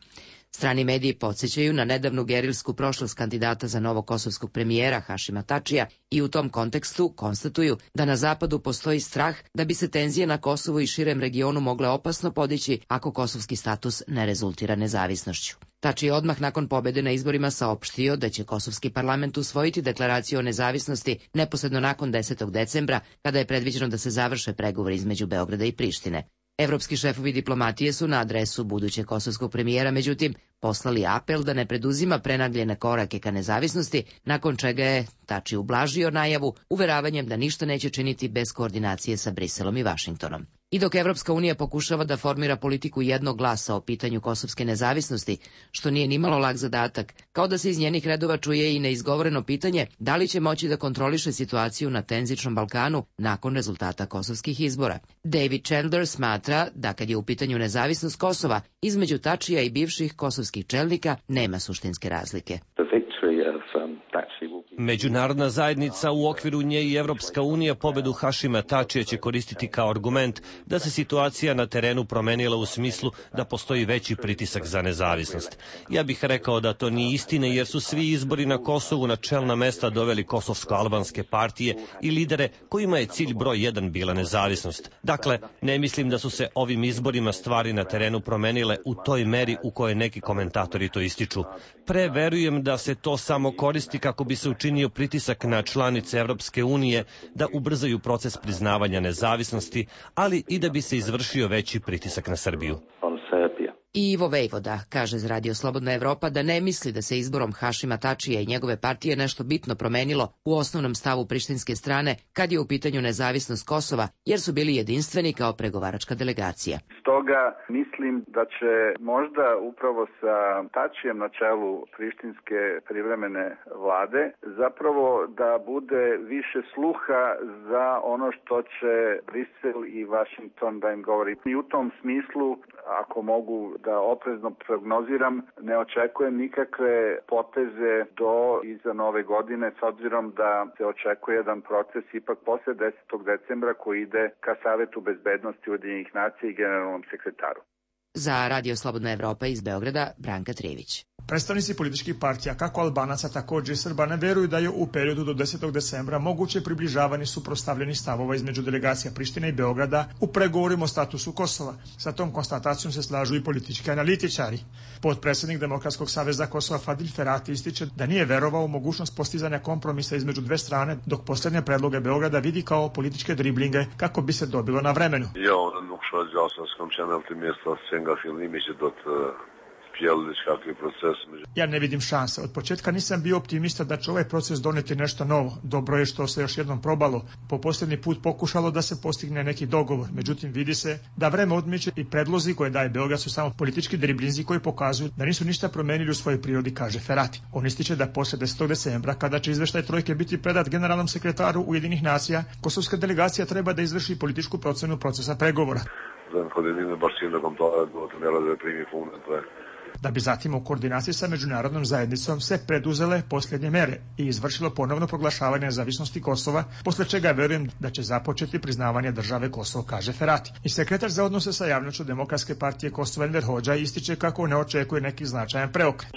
Strani mediji podsjećaju na nedavnu gerilsku prošlost kandidata za novog kosovskog premijera Hašima Tačija i u tom kontekstu konstatuju da na zapadu postoji strah da bi se tenzije na Kosovu i širem regionu mogle opasno podići ako kosovski status ne rezultira nezavisnošću. Tači je odmah nakon pobede na izborima saopštio da će kosovski parlament usvojiti deklaraciju o nezavisnosti neposredno nakon 10. decembra, kada je predviđeno da se završe pregovori između Beograda i Prištine. Evropski šefovi diplomatije su na adresu budućeg kosovskog premijera, međutim, poslali apel da ne preduzima prenagljene korake ka nezavisnosti, nakon čega je Tači ublažio najavu uveravanjem da ništa neće činiti bez koordinacije sa Briselom i Vašingtonom. I dok Evropska unija pokušava da formira politiku jednog glasa o pitanju kosovske nezavisnosti, što nije nimalo lak zadatak, kao da se iz njenih redova čuje i neizgovoreno pitanje da li će moći da kontroliše situaciju na tenzičnom Balkanu nakon rezultata kosovskih izbora. David Chandler smatra da kad je u pitanju nezavisnost Kosova, između Tačija i bivših kosovskih čelnika nema suštinske razlike. Međunarodna zajednica, u okviru nje i Evropska unija, pobedu Hašima Tačija će koristiti kao argument da se situacija na terenu promenila u smislu da postoji veći pritisak za nezavisnost. Ja bih rekao da to nije istina, jer su svi izbori na Kosovu na čelna mesta doveli kosovsko-albanske partije i lidere kojima je cilj broj 1 bila nezavisnost. Dakle, ne mislim da su se ovim izborima stvari na terenu promenile u toj meri u kojoj neki komentatori to ističu. Verujem da se to samo koristi kako bi se učinio pritisak na članice Evropske unije da ubrzaju proces priznavanja nezavisnosti, ali i da bi se izvršio veći pritisak na Srbiju. I Ivo Vejvoda kaže za Radio Slobodna Evropa da ne misli da se izborom Hašima Tačija i njegove partije nešto bitno promenilo u osnovnom stavu prištinske strane kad je u pitanju nezavisnost Kosova, jer su bili jedinstveni kao pregovaračka delegacija. Stoga mislim da će možda upravo sa Tačijem na čelu prištinske privremene vlade zapravo da bude više sluha za ono što će Brisel i Washington da im govori. I u tom smislu, ako mogu da oprezno prognoziram, ne očekujem nikakve poteze do iza nove godine, s obzirom da se očekuje jedan proces ipak posle 10. decembra koji ide ka Savetu bezbednosti Ujedinjenih nacija i generalnom sekretaru. Za Radio Slobodna Evropa iz Beograda, Branka Trivić. Predstavnici političkih partija, kako Albanaca, također i Srba, ne veruju da je u periodu do 10. decembra moguće približavanje suprotstavljenih stavova između delegacija Prištine i Beograda u pregovorima o statusu Kosova. Sa tom konstatacijom se slažu i politički analitičari. Potpredsjednik Demokratskog saveza Kosova Fadil Ferati ističe da nije verovao u mogućnost postizanja kompromisa između dve strane, dok posljednje predloge Beograda vidi kao političke driblinge kako bi se dobilo na vremenu. Ja ne vidim šanse. Od početka nisam bio optimista da će ovaj proces doneti nešto novo. Dobro je što se još jednom probalo. Po posljednji put pokušalo da se postigne neki dogovor. Međutim, vidi se da vreme odmiče i predlozi koje daje Beograd su samo politički driblinzi koji pokazuju da nisu ništa promenili u svojoj prirodi, kaže Ferati. On ističe da posle 10. decembra, kada će izveštaj trojke biti predat generalnom sekretaru Ujedinjenih nacija, kosovska delegacija treba da izvrši političku procenu procesa pregovora. Da bi zatim u koordinaciji sa međunarodnom zajednicom se preduzele posljednje mere i izvršilo ponovno proglašavanje nezavisnosti Kosova, posle čega verujem da će započeti priznavanje države Kosovo, kaže Ferati. I sekretar za odnose sa javnošću Demokratske partije Kosova Enver Hodža ističe kako ne očekuje neki značajan preokret.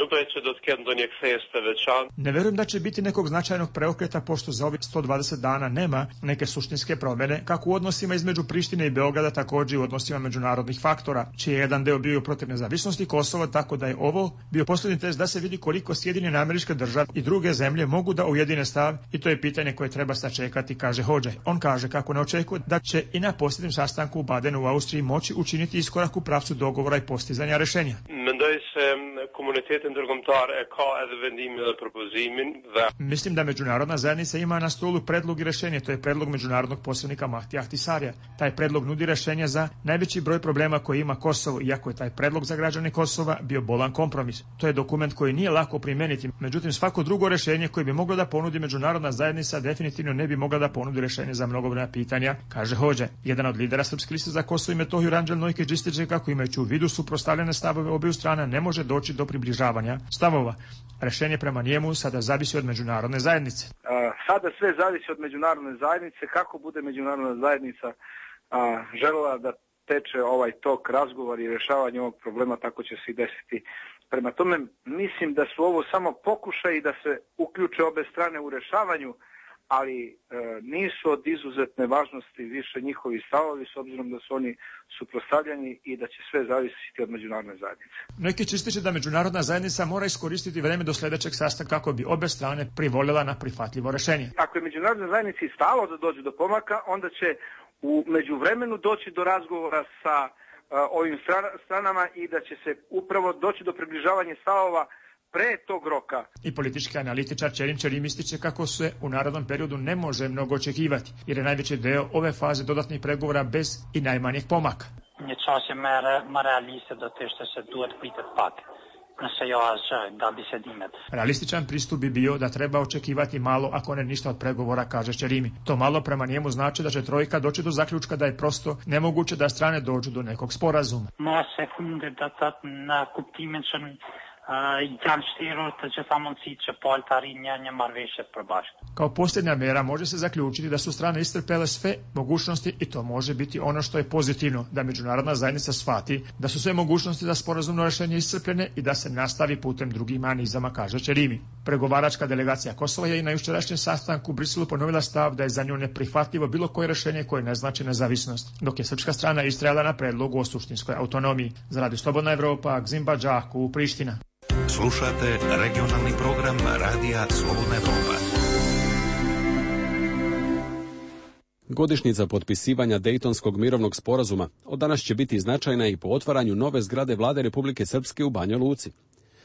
Ne verujem da će biti nekog značajnog preokreta, pošto za ovih 120 dana nema neke suštinske promjene, kako u odnosima između Prištine i Beograda, također i u odnosima međunarodnih faktora, čiji je jedan deo bio protiv nezavisnosti Kosova, tako da je ovo bio posljednji test da se vidi koliko Sjedinjene Američke Države i druge zemlje mogu da ujedine stav, i to je pitanje koje treba sačekati, kaže Hodža. On kaže kako ne očekuje da će i na posljednjem sastanku u Badenu u Austriji moći učiniti iskorak u pravcu dogovora i postizanja rešenja. Mislim da međunarodna zajednica ima na stolu predlog i rešenje, to je predlog međunarodnog poslovnika Mahtija Ahtisarija. Taj predlog nudi rešenje za najveći broj problema koji ima Kosovo, iako je taj predlog za građane Kosova bio bolan kompromis. To je dokument koji nije lako primeniti, međutim svako drugo rešenje koje bi moglo da ponudi međunarodna zajednica definitivno ne bi mogla da ponudi rešenje za mnogobrojna pitanja, kaže Hodža. Jedan od lidera Srpske liste za Kosovo i Metohiju, Ranđel Nojkić, ističe kako imajući u vidu suprotstavljene stavove obiju strana ne može doći do približavanja stavova. Rešenje prema njemu sada zavisi od međunarodne zajednice. Sada sve zavisi od međunarodne zajednice. Kako bude međunarodna zajednica želela da teče ovaj tok razgovor i rješavanje ovog problema, tako će se i desiti Prema tome, mislim da su ovo samo pokušaji da se uključe obe strane u rešavanju, ali nisu od izuzetne važnosti više njihovi stavovi, s obzirom da su oni suprotstavljeni i da će sve zavisiti od međunarodne zajednice. Neki će ističe da međunarodna zajednica mora iskoristiti vreme do sljedećeg sastanka kako bi obe strane privolila na prihvatljivo rešenje. Ako je međunarodna zajednica stalo da dođe do pomaka, onda će u međuvremenu doći do razgovora sa ovim stranama i da će se upravo doći do približavanja stavova pre tog roka. I politički analitičar Ćerim Ćerim ističe kako se u narednom periodu ne može mnogo očekivati, jer je najveći deo ove faze dodatnih pregovora bez i najmanjih pomaka. Një çështje më realiste do të ishte se duhet pritet pak. Nëse jo asgjë nga bisedimet. Realističan pristup bi bio da treba očekivati malo, ako ne ništa od pregovora, kaže Ćerimi. To malo prema njemu znači da će trojka doći do zaključka da je prosto nemoguće da strane dođu do nekog sporazuma. Ma sekunde da na kuptimin që janë shtirur të gjitha mundësitë që palë të arrijnë një marrëveshje të përbashkët. Kao posljednja mera može se zaključiti da su strane iscrpele sve mogućnosti i to može biti ono što je pozitivno, da međunarodna zajednica shvati da su sve mogućnosti za sporazumno rješenje iscrpljene i da se nastavi putem drugih mehanizama, kaže Ćerimi. Pregovaračka delegacija Kosova je i na jučerašnjem sastanku u Briselu ponovila stav da je za nju neprihvatljivo bilo koje rješenje koje ne znači nezavisnost, dok je srpska strana istrajala na predlogu o suštinskoj autonomiji. Za Radio Slobodna Evropa, Gzimba Đaku, Priština. Slušate regionalni program Radija Slobodna Evropa. Godišnjica potpisivanja Dejtonskog mirovnog sporazuma od danas će biti značajna i po otvaranju nove zgrade Vlade Republike Srpske u Banja Luci.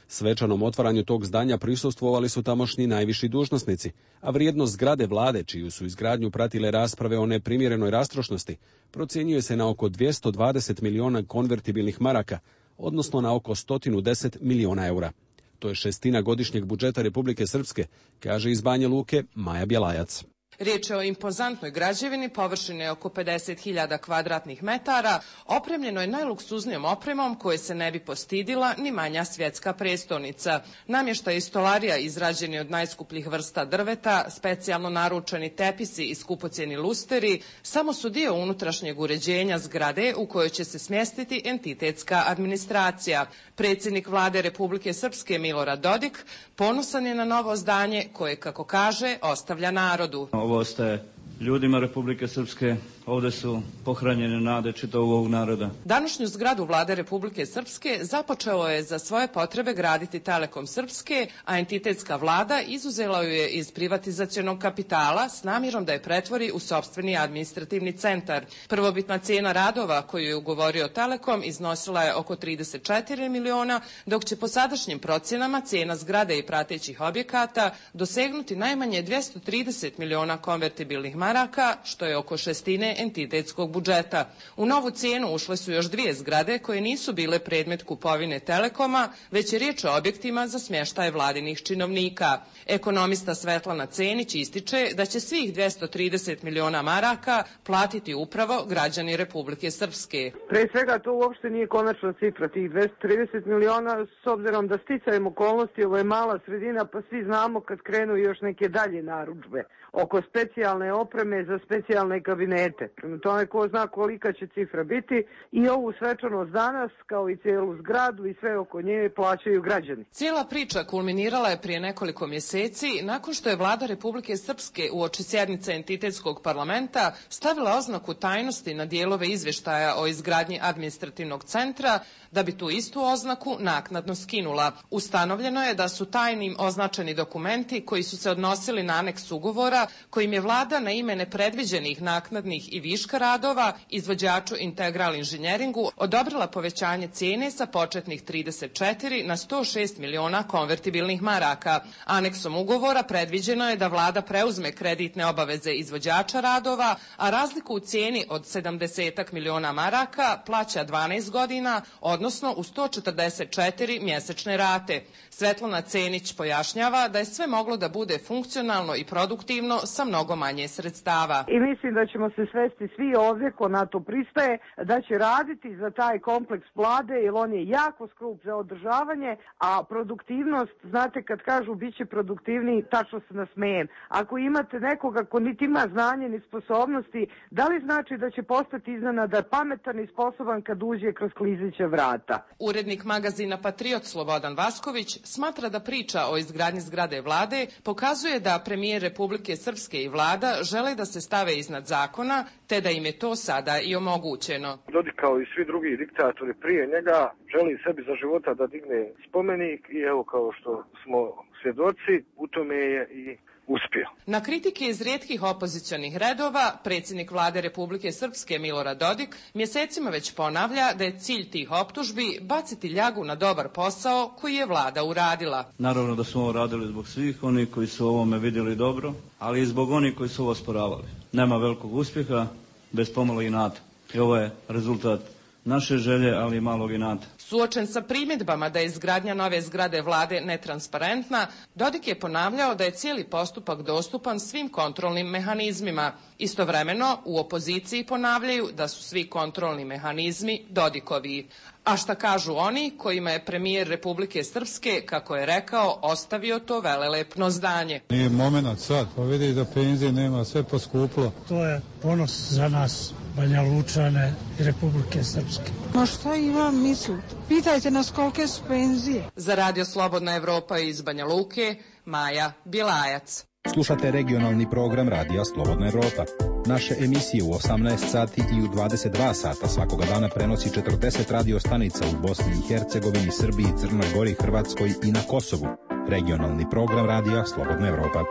Svečanom otvaranju tog zdanja prisustvovali su tamošnji najviši dužnosnici, a vrijednost zgrade Vlade, čiju su izgradnju pratile rasprave o neprimjerenoj rastrošnosti, procjenjuje se na oko 220 miliona konvertibilnih maraka, odnosno na oko 110 miliona eura. To je 1/6 godišnjeg budžeta Republike Srpske, kaže iz Banja Luke Maja Bjelajac. Riječ je o impozantnoj građevini, površine oko 50.000 kvadratnih metara, opremljeno je najluksuznijom opremom koje se ne bi postidila ni manja svjetska prestolnica. Namještaj i stolarija izrađeni od najskupljih vrsta drveta, specijalno naručeni tepisi i skupocjeni lusteri samo su dio unutrašnjeg uređenja zgrade u kojoj će se smjestiti entitetska administracija. Predsjednik Vlade Republike Srpske Milorad Dodik ponosan je na novo zdanje koje, kako kaže, ostavlja narodu. Ovo ostaje ljudima Republike Srpske, ovdje su pohranjene nade čitavog ovog naroda. Današnju zgradu Vlade Republike Srpske započeo je za svoje potrebe graditi Telekom Srpske, a entitetska vlada izuzela ju je iz privatizacionog kapitala s namjerom da je pretvori u sopstveni administrativni centar. Prvobitna cijena radova koju je ugovorio Telekom iznosila je oko 34 miliona, dok će po sadašnjim procjenama cijena zgrade i pratećih objekata dosegnuti najmanje 230 miliona konvertibilnih maraka, što je oko 1/6 entitetskog budžeta. U novu cijenu ušle su još 2 zgrade koje nisu bile predmet kupovine Telekoma, već je riječ o objektima za smještaj vladinih činovnika. Ekonomista Svetlana Cenić ističe da će svih 230 miliona maraka platiti upravo građani Republike Srpske. Pre svega to uopšte nije konačna cifra, tih 230 miliona, s obzirom da sticajem okolnosti ovo je mala sredina, pa svi znamo kad krenu još neke dalje narudžbe oko specijalne opreme za specijalne kabinete. Prema tome ko zna kolika će cifra biti i ovu svečanost danas, kao i cijelu zgradu i sve oko nje plaćaju građani. Cijela priča kulminirala je prije nekoliko mjeseci nakon što je Vlada Republike Srpske uoči sjednice entitetskog parlamenta stavila oznaku tajnosti na dijelove izvještaja o izgradnji administrativnog centra, da bi tu istu oznaku naknadno skinula. Ustanovljeno je da su tajnim označeni dokumenti koji su se odnosili na aneks ugovora kojim je vlada na ime nepredviđenih naknadnih i viška radova izvođaču Integral inženjeringu odobrila povećanje cijene sa početnih 34 na 106 miliona konvertibilnih maraka. Aneksom ugovora predviđeno je da vlada preuzme kreditne obaveze izvođača radova, a razliku u cijeni od 70 miliona maraka plaća 12 godina, odnosno u 144 mjesečne rate. Svetlana Cenić pojašnjava da je sve moglo da bude funkcionalno i produktivno sa mnogo manje sredstava. I mislim da ćemo se sve svesni svi ovdje ko na to pristaje da će raditi za taj kompleks vlade jer on je jako skup za održavanje, a produktivnost, znate kad kažu bit će produktivniji, tačno se nasmejem. Ako imate nekoga ko niti ima znanje ni sposobnosti, da li znači da će postati iznenada pametan i sposoban kad uđe kroz klizeća vrata? Urednik magazina Patriot Slobodan Vasković smatra da priča o izgradnji zgrade vlade pokazuje da premijer Republike Srpske i vlada žele da se stave iznad zakona, te da im je to sada i omogućeno. Dodik kao i svi drugi diktatori prije njega želi sebi za života da digne spomenik i evo kao što smo svjedoci, u tome je i uspio. Na kritike iz rijetkih opozicionih redova, predsjednik vlade Republike Srpske Milorad Dodik mjesecima već ponavlja da je cilj tih optužbi baciti ljagu na dobar posao koji je vlada uradila. Naravno da smo ovo radili zbog svih onih koji su ovome vidjeli dobro, ali i zbog onih koji su ovo osporavali. Nema velikog uspjeha bez pomalo inata. I ovo je rezultat naše želje, ali i malog inata. Suočen sa primjedbama da je izgradnja nove zgrade vlade netransparentna, Dodik je ponavljao da je cijeli postupak dostupan svim kontrolnim mehanizmima. Istovremeno u opoziciji ponavljaju da su svi kontrolni mehanizmi Dodikovi. A šta kažu oni kojima je premijer Republike Srpske, kako je rekao, ostavio to velelepno zdanje? Nije moment sad, pa vidi da penzije nema, sve poskuplo. To je ponos za nas, Banja Lučane i Republike Srpske. Ma šta imam misliti? Pitajte nas kolike su penzije. Za Radio Slobodna Evropa iz Banja Luke, Maja Bjelajac. Slušate regionalni program Radija Slobodna Evropa. Naše emisije u 18 sati i u 22 sata svakoga dana prenosi 40 radio stanica u Bosni i Hercegovini, Srbiji, Crnoj Gori, Hrvatskoj i na Kosovu. Regionalni program Radija Slobodna Evropa.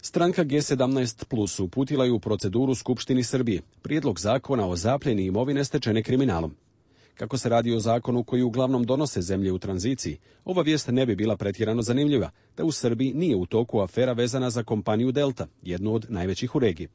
Stranka G17 Plus uputila je u proceduru Skupštini Srbije prijedlog zakona o zapljeni imovine stečene kriminalom. Kako se radi o zakonu koji uglavnom donose zemlje u tranziciji, ova vijest ne bi bila pretjerano zanimljiva, da u Srbiji nije u toku afera vezana za kompaniju Delta, jednu od najvećih u regiji.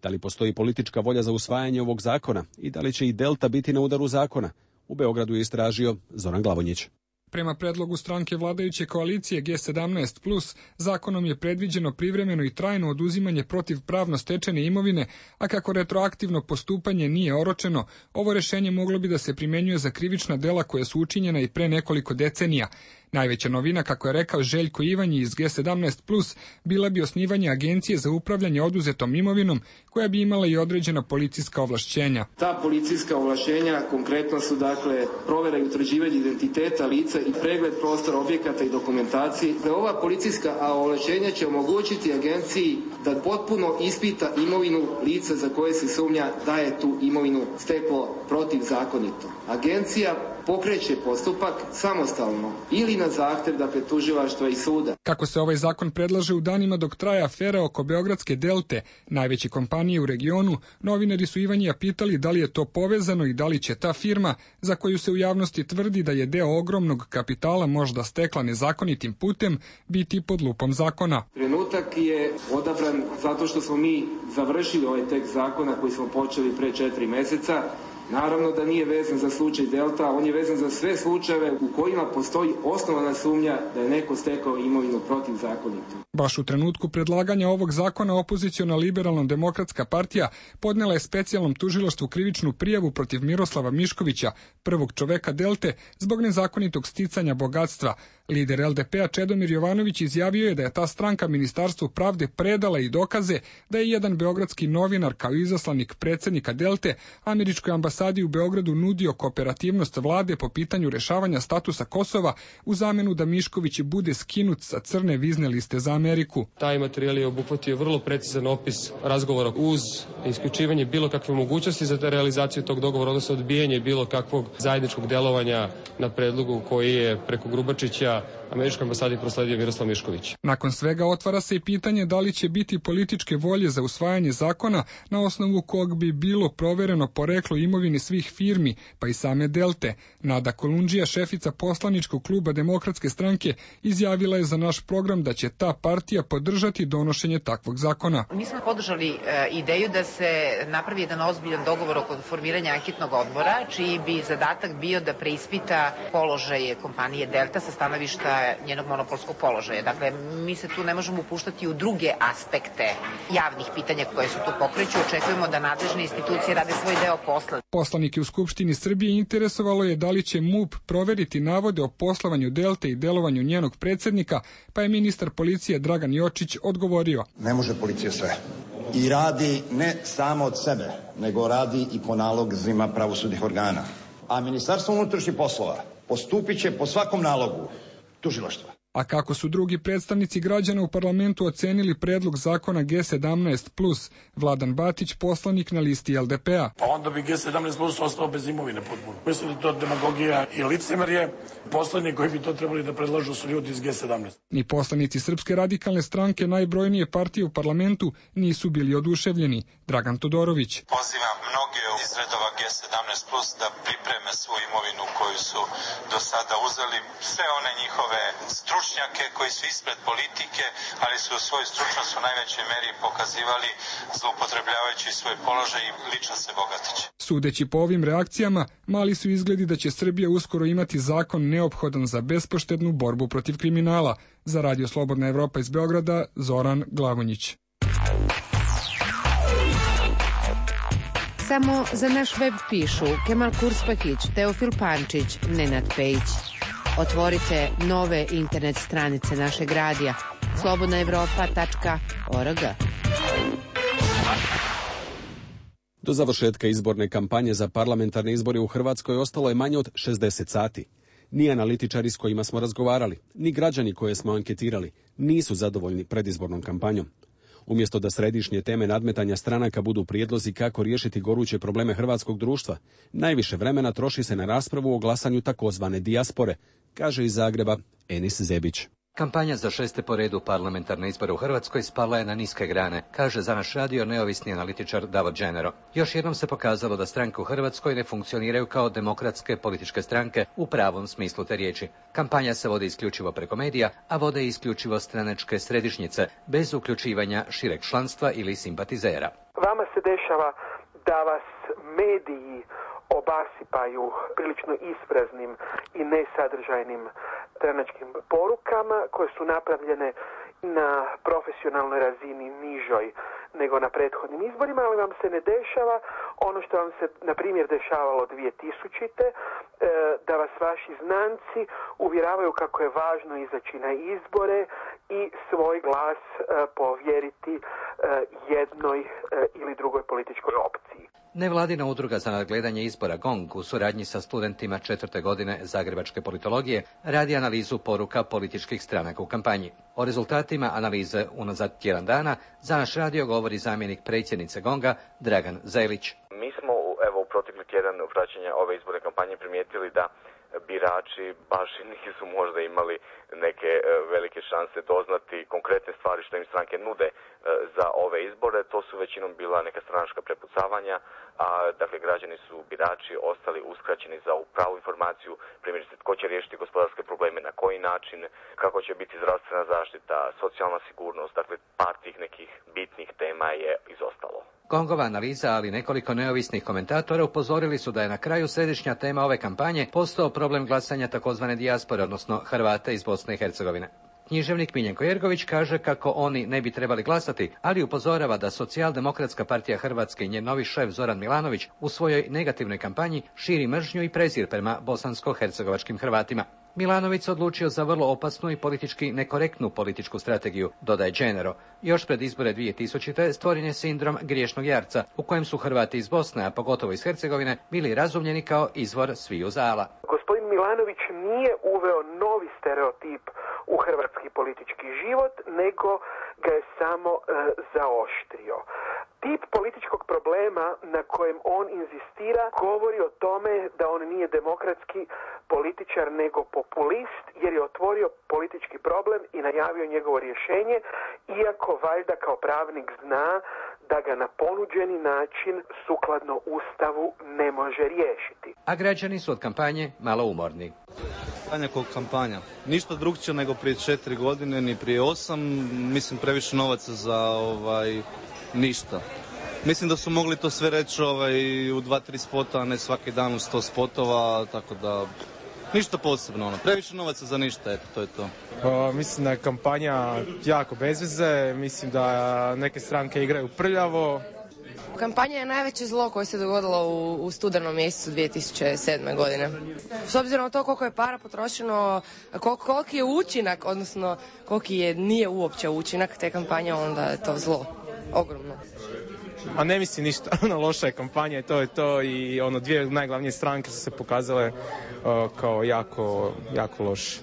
Da li postoji politička volja za usvajanje ovog zakona i da li će i Delta biti na udaru zakona? U Beogradu je istražio Zoran Glavonjić. Prema predlogu stranke vladajuće koalicije G17+, zakonom je predviđeno privremeno i trajno oduzimanje protivpravno stečene imovine, a kako retroaktivno postupanje nije oročeno, ovo rješenje moglo bi da se primjenjuje za krivična dela koja su učinjena i pre nekoliko decenija. Najveća novina, kako je rekao Željko Ivanji iz G17+, bila bi osnivanje agencije za upravljanje oduzetom imovinom, koja bi imala i određena policijska ovlašćenja. Ta policijska ovlašćenja konkretno su dakle provjera i utvrđivanje identiteta lica i pregled prostora, objekata i dokumentacije. Ova policijska ovlašćenja će omogućiti agenciji da potpuno ispita imovinu lica za koje se sumnja da je tu imovinu steklo protivzakonito. Agencija pokreće postupak samostalno ili na zahtjev, dakle, tužilaštva i suda. Kako se ovaj zakon predlaže u danima dok traje afera oko Beogradske Delte, najveće kompanije u regionu, novinari su Ivanjija pitali da li je to povezano i da li će ta firma, za koju se u javnosti tvrdi da je deo ogromnog kapitala možda stekla nezakonitim putem, biti pod lupom zakona. Trenutak je odabran zato što smo mi završili ovaj tekst zakona koji smo počeli pre 4 mjeseca. Naravno da nije vezan za slučaj Delta, on je vezan za sve slučajeve u kojima postoji osnovana sumnja da je neko stekao imovinu protivzakonito. Baš u trenutku predlaganja ovog zakona opoziciona Liberalno-demokratska partija podnela je specijalnom tužilaštvu krivičnu prijavu protiv Miroslava Miškovića, prvog čoveka Delte, zbog nezakonitog sticanja bogatstva. Lider LDP-a Čedomir Jovanović izjavio je da je ta stranka Ministarstvu pravde predala i dokaze da je jedan beogradski novinar kao izaslanik predsjednika Delte američkoj ambasadi u Beogradu nudio kooperativnost vlade po pitanju rešavanja statusa Kosova u zamenu da Mišković bude skinut sa crne vizne liste za Ameriku. Taj materijal je obuhvatio vrlo precizan opis razgovora uz isključivanje bilo kakve mogućnosti za realizaciju tog dogovora, odnosno odbijanje bilo kakvog zajedničkog delovanja na predlogu koji je preko Grubačića američkoj ambasadi prosledio Miroslav Mišković. Nakon svega otvara se i pitanje da li će biti političke volje za usvajanje zakona na osnovu kog bi bilo provereno poreklo imovine svih firmi, pa i same Delte. Nada Kolundžija, šefica poslaničkog kluba Demokratske stranke, izjavila je za naš program da će ta partija podržati donošenje takvog zakona. Mi smo podržali ideju da se napravi jedan ozbiljan dogovor oko formiranja anketnog odbora, čiji bi zadatak bio da preispita položaje kompanije Delta sa stanovišta zloupotreba njenog monopolskog položaja. Dakle, mi se tu ne možemo upuštati u druge aspekte javnih pitanja koje su tu pokreću. Očekujemo da nadležne institucije rade svoj deo posla. Poslanike u Skupštini Srbije interesovalo je da li će MUP proveriti navode o poslovanju Delte i delovanju njenog predsjednika, pa je ministar policije Dragan Jočić odgovorio. Ne može policija sve. I radi ne samo od sebe, nego radi i po nalozima pravosudnih organa. A Ministarstvo unutrašnjih poslova postupit će po svakom nalogu tužilaštva. A kako su drugi predstavnici građana u parlamentu ocenili predlog zakona G17+, Vladan Batić, poslanik na listi LDP-a. Pa onda bi G17+ ostao bez imovine potpuno. Mislim da to demagogija i licemerje. Poslednji koji bi to trebali da predlažu su ljudi iz G17. Ni poslanici Srpske radikalne stranke, najbrojnije partije u parlamentu, nisu bili oduševljeni. Dragan Todorović. Pozivam mnoge iz redova G17+ da pripreme svoju imovinu koju su do sada uzeli. Sve one njihove stručnjake koji su ispred politike, ali su svoju stručnost u najvećoj meri pokazivali zloupotrebljavajući svoj položaj i lično se bogatići. Sudeći po ovim reakcijama, mali su izgledi da će Srbija uskoro imati zakon neophodan za bespoštednu borbu protiv kriminala. Za Radio Slobodna Evropa iz Beograda, Zoran Glavonjić. Samo za naš web pišu Kemal Kurspahić, Teofil Pančić, Nenad Pejić. Otvorite nove internet stranice našeg radija slobodnaevropa.org. Do završetka izborne kampanje za parlamentarne izbore u Hrvatskoj ostalo je manje od 60 sati. Ni analitičari s kojima smo razgovarali, ni građani koje smo anketirali nisu zadovoljni predizbornom kampanjom. Umjesto da središnje teme nadmetanja stranaka budu prijedlozi kako riješiti goruće probleme hrvatskog društva, najviše vremena troši se na raspravu o glasanju takozvane dijaspore, kaže iz Zagreba Enis Zebić. Kampanja za 6. po redu parlamentarne izbore u Hrvatskoj spala je na niske grane, kaže za naš radio neovisni analitičar Davor Dženero. Još jednom se pokazalo da stranke u Hrvatskoj ne funkcioniraju kao demokratske političke stranke u pravom smislu te riječi. Kampanja se vodi isključivo preko medija, a vode isključivo stranačke središnjice, bez uključivanja šireg članstva ili simpatizera. Vama se dešava da vas mediji obasipaju prilično ispraznim i nesadržajnim stranačkim porukama koje su napravljene na profesionalnoj razini nižoj nego na prethodnim izborima, ali vam se ne dešava ono što vam se, na primjer, dešavalo 2000. Da vas vaši znanci uvjeravaju kako je važno izaći na izbore i svoj glas povjeriti jednoj ili drugoj političkoj opciji. Nevladina udruga za nadgledanje izbora GONG u suradnji sa studentima 4. godine zagrebačke politologije radi analizu poruka političkih stranaka u kampanji. O rezultatima analize unazad tjedan dana za naš radio govori zamjenik predsjednice GONG-a Dragan Zelić. Mi smo u protekli tjedan praćenja ove izborne kampanje primijetili da birači baš nisu možda imali neke velike šanse doznati konkretne stvari što im stranke nude za ove izbore. To su većinom bila neka stranačka prepucavanja, a dakle građani su, birači, ostali uskraćeni za pravu informaciju, primjerice tko će riješiti gospodarske probleme, na koji način, kako će biti zdravstvena zaštita, socijalna sigurnost, dakle par tih nekih bitnih tema je izostalo. GONG-ova analiza, ali nekoliko neovisnih komentatora upozorili su da je na kraju središnja tema ove kampanje postao problem glasanja takozvane dijaspore, odnosno Hrvata iz Bosne i Hercegovine. Književnik Miljenko Jergović kaže kako oni ne bi trebali glasati, ali upozorava da Socijaldemokratska partija Hrvatske i njen novi šef Zoran Milanović u svojoj negativnoj kampanji širi mržnju i prezir prema bosansko-hercegovačkim Hrvatima. Milanović se odlučio za vrlo opasnu i politički nekorektnu političku strategiju, dodaje Dženero. Još pred izbore 2000. stvoren je sindrom griješnog jarca, u kojem su Hrvati iz Bosne, a pogotovo iz Hercegovine, bili razumljeni kao izvor sviju zala. Gospodin Milanović nije uveo novi stereotip u hrvatski politički život, nego ga je samo zaoštrio. Tip političkog problema na kojem on inzistira govori o tome da on nije demokratski političar nego populist, jer je otvorio politički problem i najavio njegovo rješenje, iako valjda kao pravnik zna da ga na ponuđeni način sukladno Ustavu ne može riješiti. A građani su od kampanje malo umorni. Kampanja. Ništa drugčije nego prije 4 godine, ni prije 8. Mislim, previše novaca za ništa. Mislim da su mogli to sve reći u 2-3 spota, a ne svaki dan u 100 spotova, tako da Ništa posebno, previše novaca za ništa, eto, to je to. Mislim da je kampanja jako bez veze, mislim da neke stranke igraju prljavo. Kampanja je najveće zlo koje se dogodilo u studenom mjesecu 2007. godine. S obzirom na to koliko je para potrošeno, koliki je učinak, odnosno koliki nije uopće učinak te kampanje, onda je to zlo ogromno. A ne mislim ništa, loša je kampanja i to je to i dvije najglavnije stranke su se pokazale kao jako loše.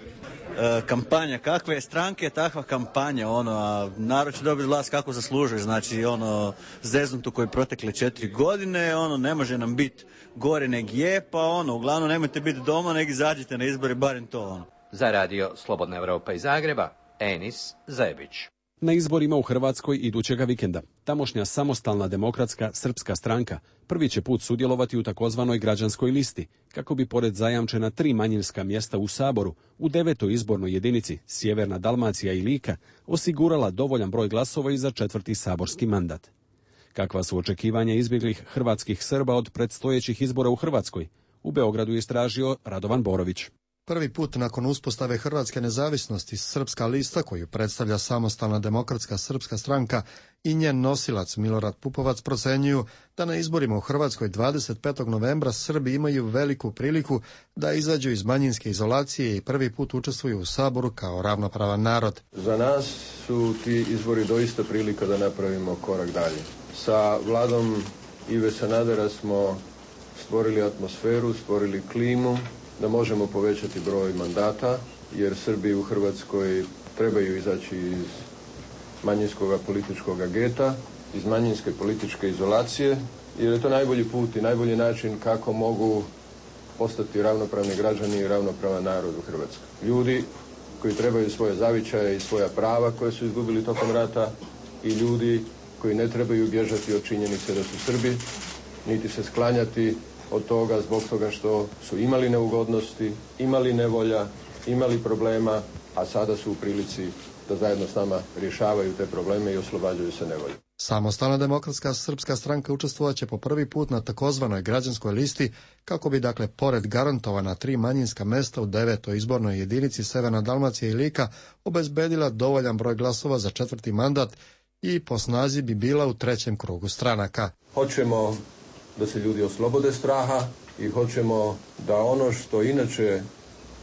Kampanja, kakve stranke, takva kampanja, a narod će dobiti vlast kako zaslužuje, znači zeznutu koji protekle 4 godine, ne može nam biti gore nego je, pa uglavnom nemojte biti doma, nego izađite na izbore, barem to. Za radio Slobodna Europa iz Zagreba, Enis Zebić. Na izborima u Hrvatskoj idućega vikenda tamošnja samostalna demokratska srpska stranka prvi će put sudjelovati u takozvanoj građanskoj listi, kako bi pored zajamčena 3 manjinska mjesta u Saboru, u 9. izbornoj jedinici Sjeverna Dalmacija i Lika osigurala dovoljan broj glasova i za 4. saborski mandat. Kakva su očekivanja izbjeglih hrvatskih Srba od predstojećih izbora u Hrvatskoj? U Beogradu je istražio Radovan Borović. Prvi put nakon uspostave hrvatske nezavisnosti Srpska lista, koju predstavlja samostalna demokratska srpska stranka i njen nosilac Milorad Pupovac procenjuju da na izborima u Hrvatskoj 25. novembra Srbi imaju veliku priliku da izađu iz manjinske izolacije i prvi put učestvuju u Saboru kao ravnopravan narod. Za nas su ti izbori doista prilika da napravimo korak dalje. Sa vladom Ive Sanadera smo stvorili atmosferu, stvorili klimu da možemo povećati broj mandata, jer Srbi u Hrvatskoj trebaju izaći iz manjinskog političkog geta, iz manjinske političke izolacije, jer je to najbolji put i najbolji način kako mogu postati ravnopravni građani i ravnopravan narod u Hrvatskoj. Ljudi koji trebaju svoje zavičaje i svoja prava koje su izgubili tokom rata i ljudi koji ne trebaju bježati od činjenice da su Srbi, niti se sklanjati od toga zbog toga što su imali neugodnosti, imali nevolja, imali problema, a sada su u prilici da zajedno s nama rješavaju te probleme i oslobađaju se nevolje. Samostalna demokratska srpska stranka učestvovat će po prvi put na takozvanoj građanskoj listi kako bi pored garantovana 3 manjinska mesta u 9. izbornoj jedinici Severna Dalmacija i Lika obezbedila dovoljan broj glasova za 4. mandat i po snazi bi bila u 3. krugu stranaka. Hoćemo da se ljudi oslobode straha i hoćemo da ono što inače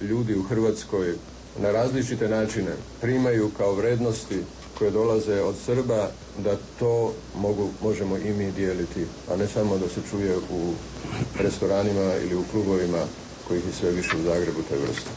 ljudi u Hrvatskoj na različite načine primaju kao vrednosti koje dolaze od Srba, da to možemo i mi dijeliti, a ne samo da se čuje u restoranima ili u klubovima kojih je sve više u Zagrebu te vrste.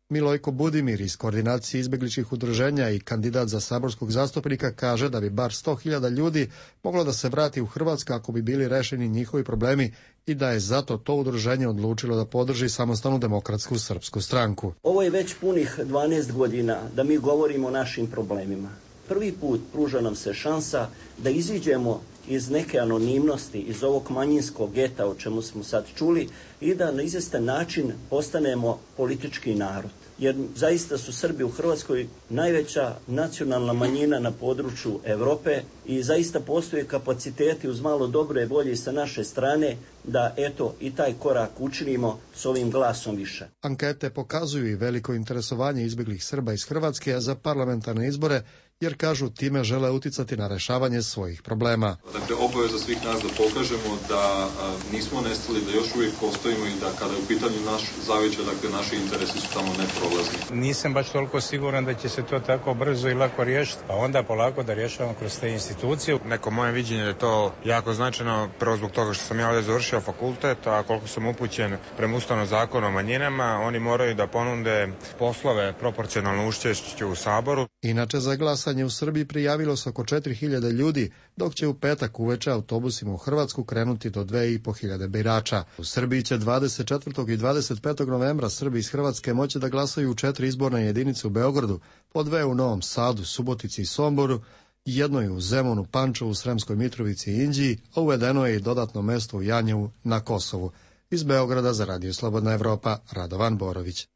Milojko Budimir iz Koordinacije izbjegličkih udruženja i kandidat za saborskog zastupnika kaže da bi bar 100.000 ljudi moglo da se vrati u Hrvatsku ako bi bili rešeni njihovi problemi i da je zato to udruženje odlučilo da podrži samostalnu demokratsku srpsku stranku. Ovo je već punih 12 godina da mi govorimo o našim problemima. Prvi put pruža nam se šansa da iziđemo iz neke anonimnosti, iz ovog manjinskog geta o čemu smo sad čuli i da na izvestan način postanemo politički narod. Jer zaista su Srbi u Hrvatskoj najveća nacionalna manjina na području Europe i zaista postoje kapaciteti uz malo dobre volje sa naše strane da i taj korak učinimo s ovim glasom više. Ankete pokazuju i veliko interesovanje izbjeglih Srba iz Hrvatske za parlamentarne izbore, jer kažu time žele uticati na rešavanje svojih problema. Dakle, obaveza svih nas da pokažemo da nismo nestali, da još uvijek postojimo i da kada je u pitanju naš zavičaj, naši interesi su tamo neprolazni. Nisam baš toliko siguran da će se to tako brzo i lako riješiti, pa onda polako da rješavamo kroz te institucije. Neko moje viđenje je to jako značajno, prvo zbog toga što sam ja ovdje završio fakultet, a koliko sam upućen prema Ustavnom zakonu o manjinama, oni moraju da ponude poslove proporcionalno učešću u Saboru. Inače, za glasanje u Srbiji prijavilo se oko 4.000 ljudi, dok će u petak uveče autobusima u Hrvatsku krenuti do 2.500 birača. U Srbiji će 24. i 25. novembra Srbi iz Hrvatske moći da glasaju u 4 izborne jedinice u Beogradu, po 2 u Novom Sadu, Subotici i Somboru, jedno je u Zemunu, Pančevu, Sremskoj Mitrovici i Inđiji, a uvedeno je i dodatno mesto u Janjevu na Kosovu. Iz Beograda za Radio Slobodna Evropa, Radovan Borović.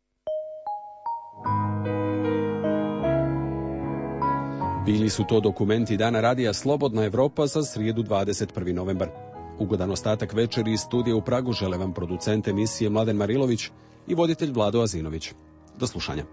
Bili su to dokumenti Dana radija Slobodna Evropa za srijedu 21. novembar. Ugodan ostatak večeri iz studija u Pragu žele vam producent emisije Mladen Marilović i voditelj Vlado Azinović. Do slušanja.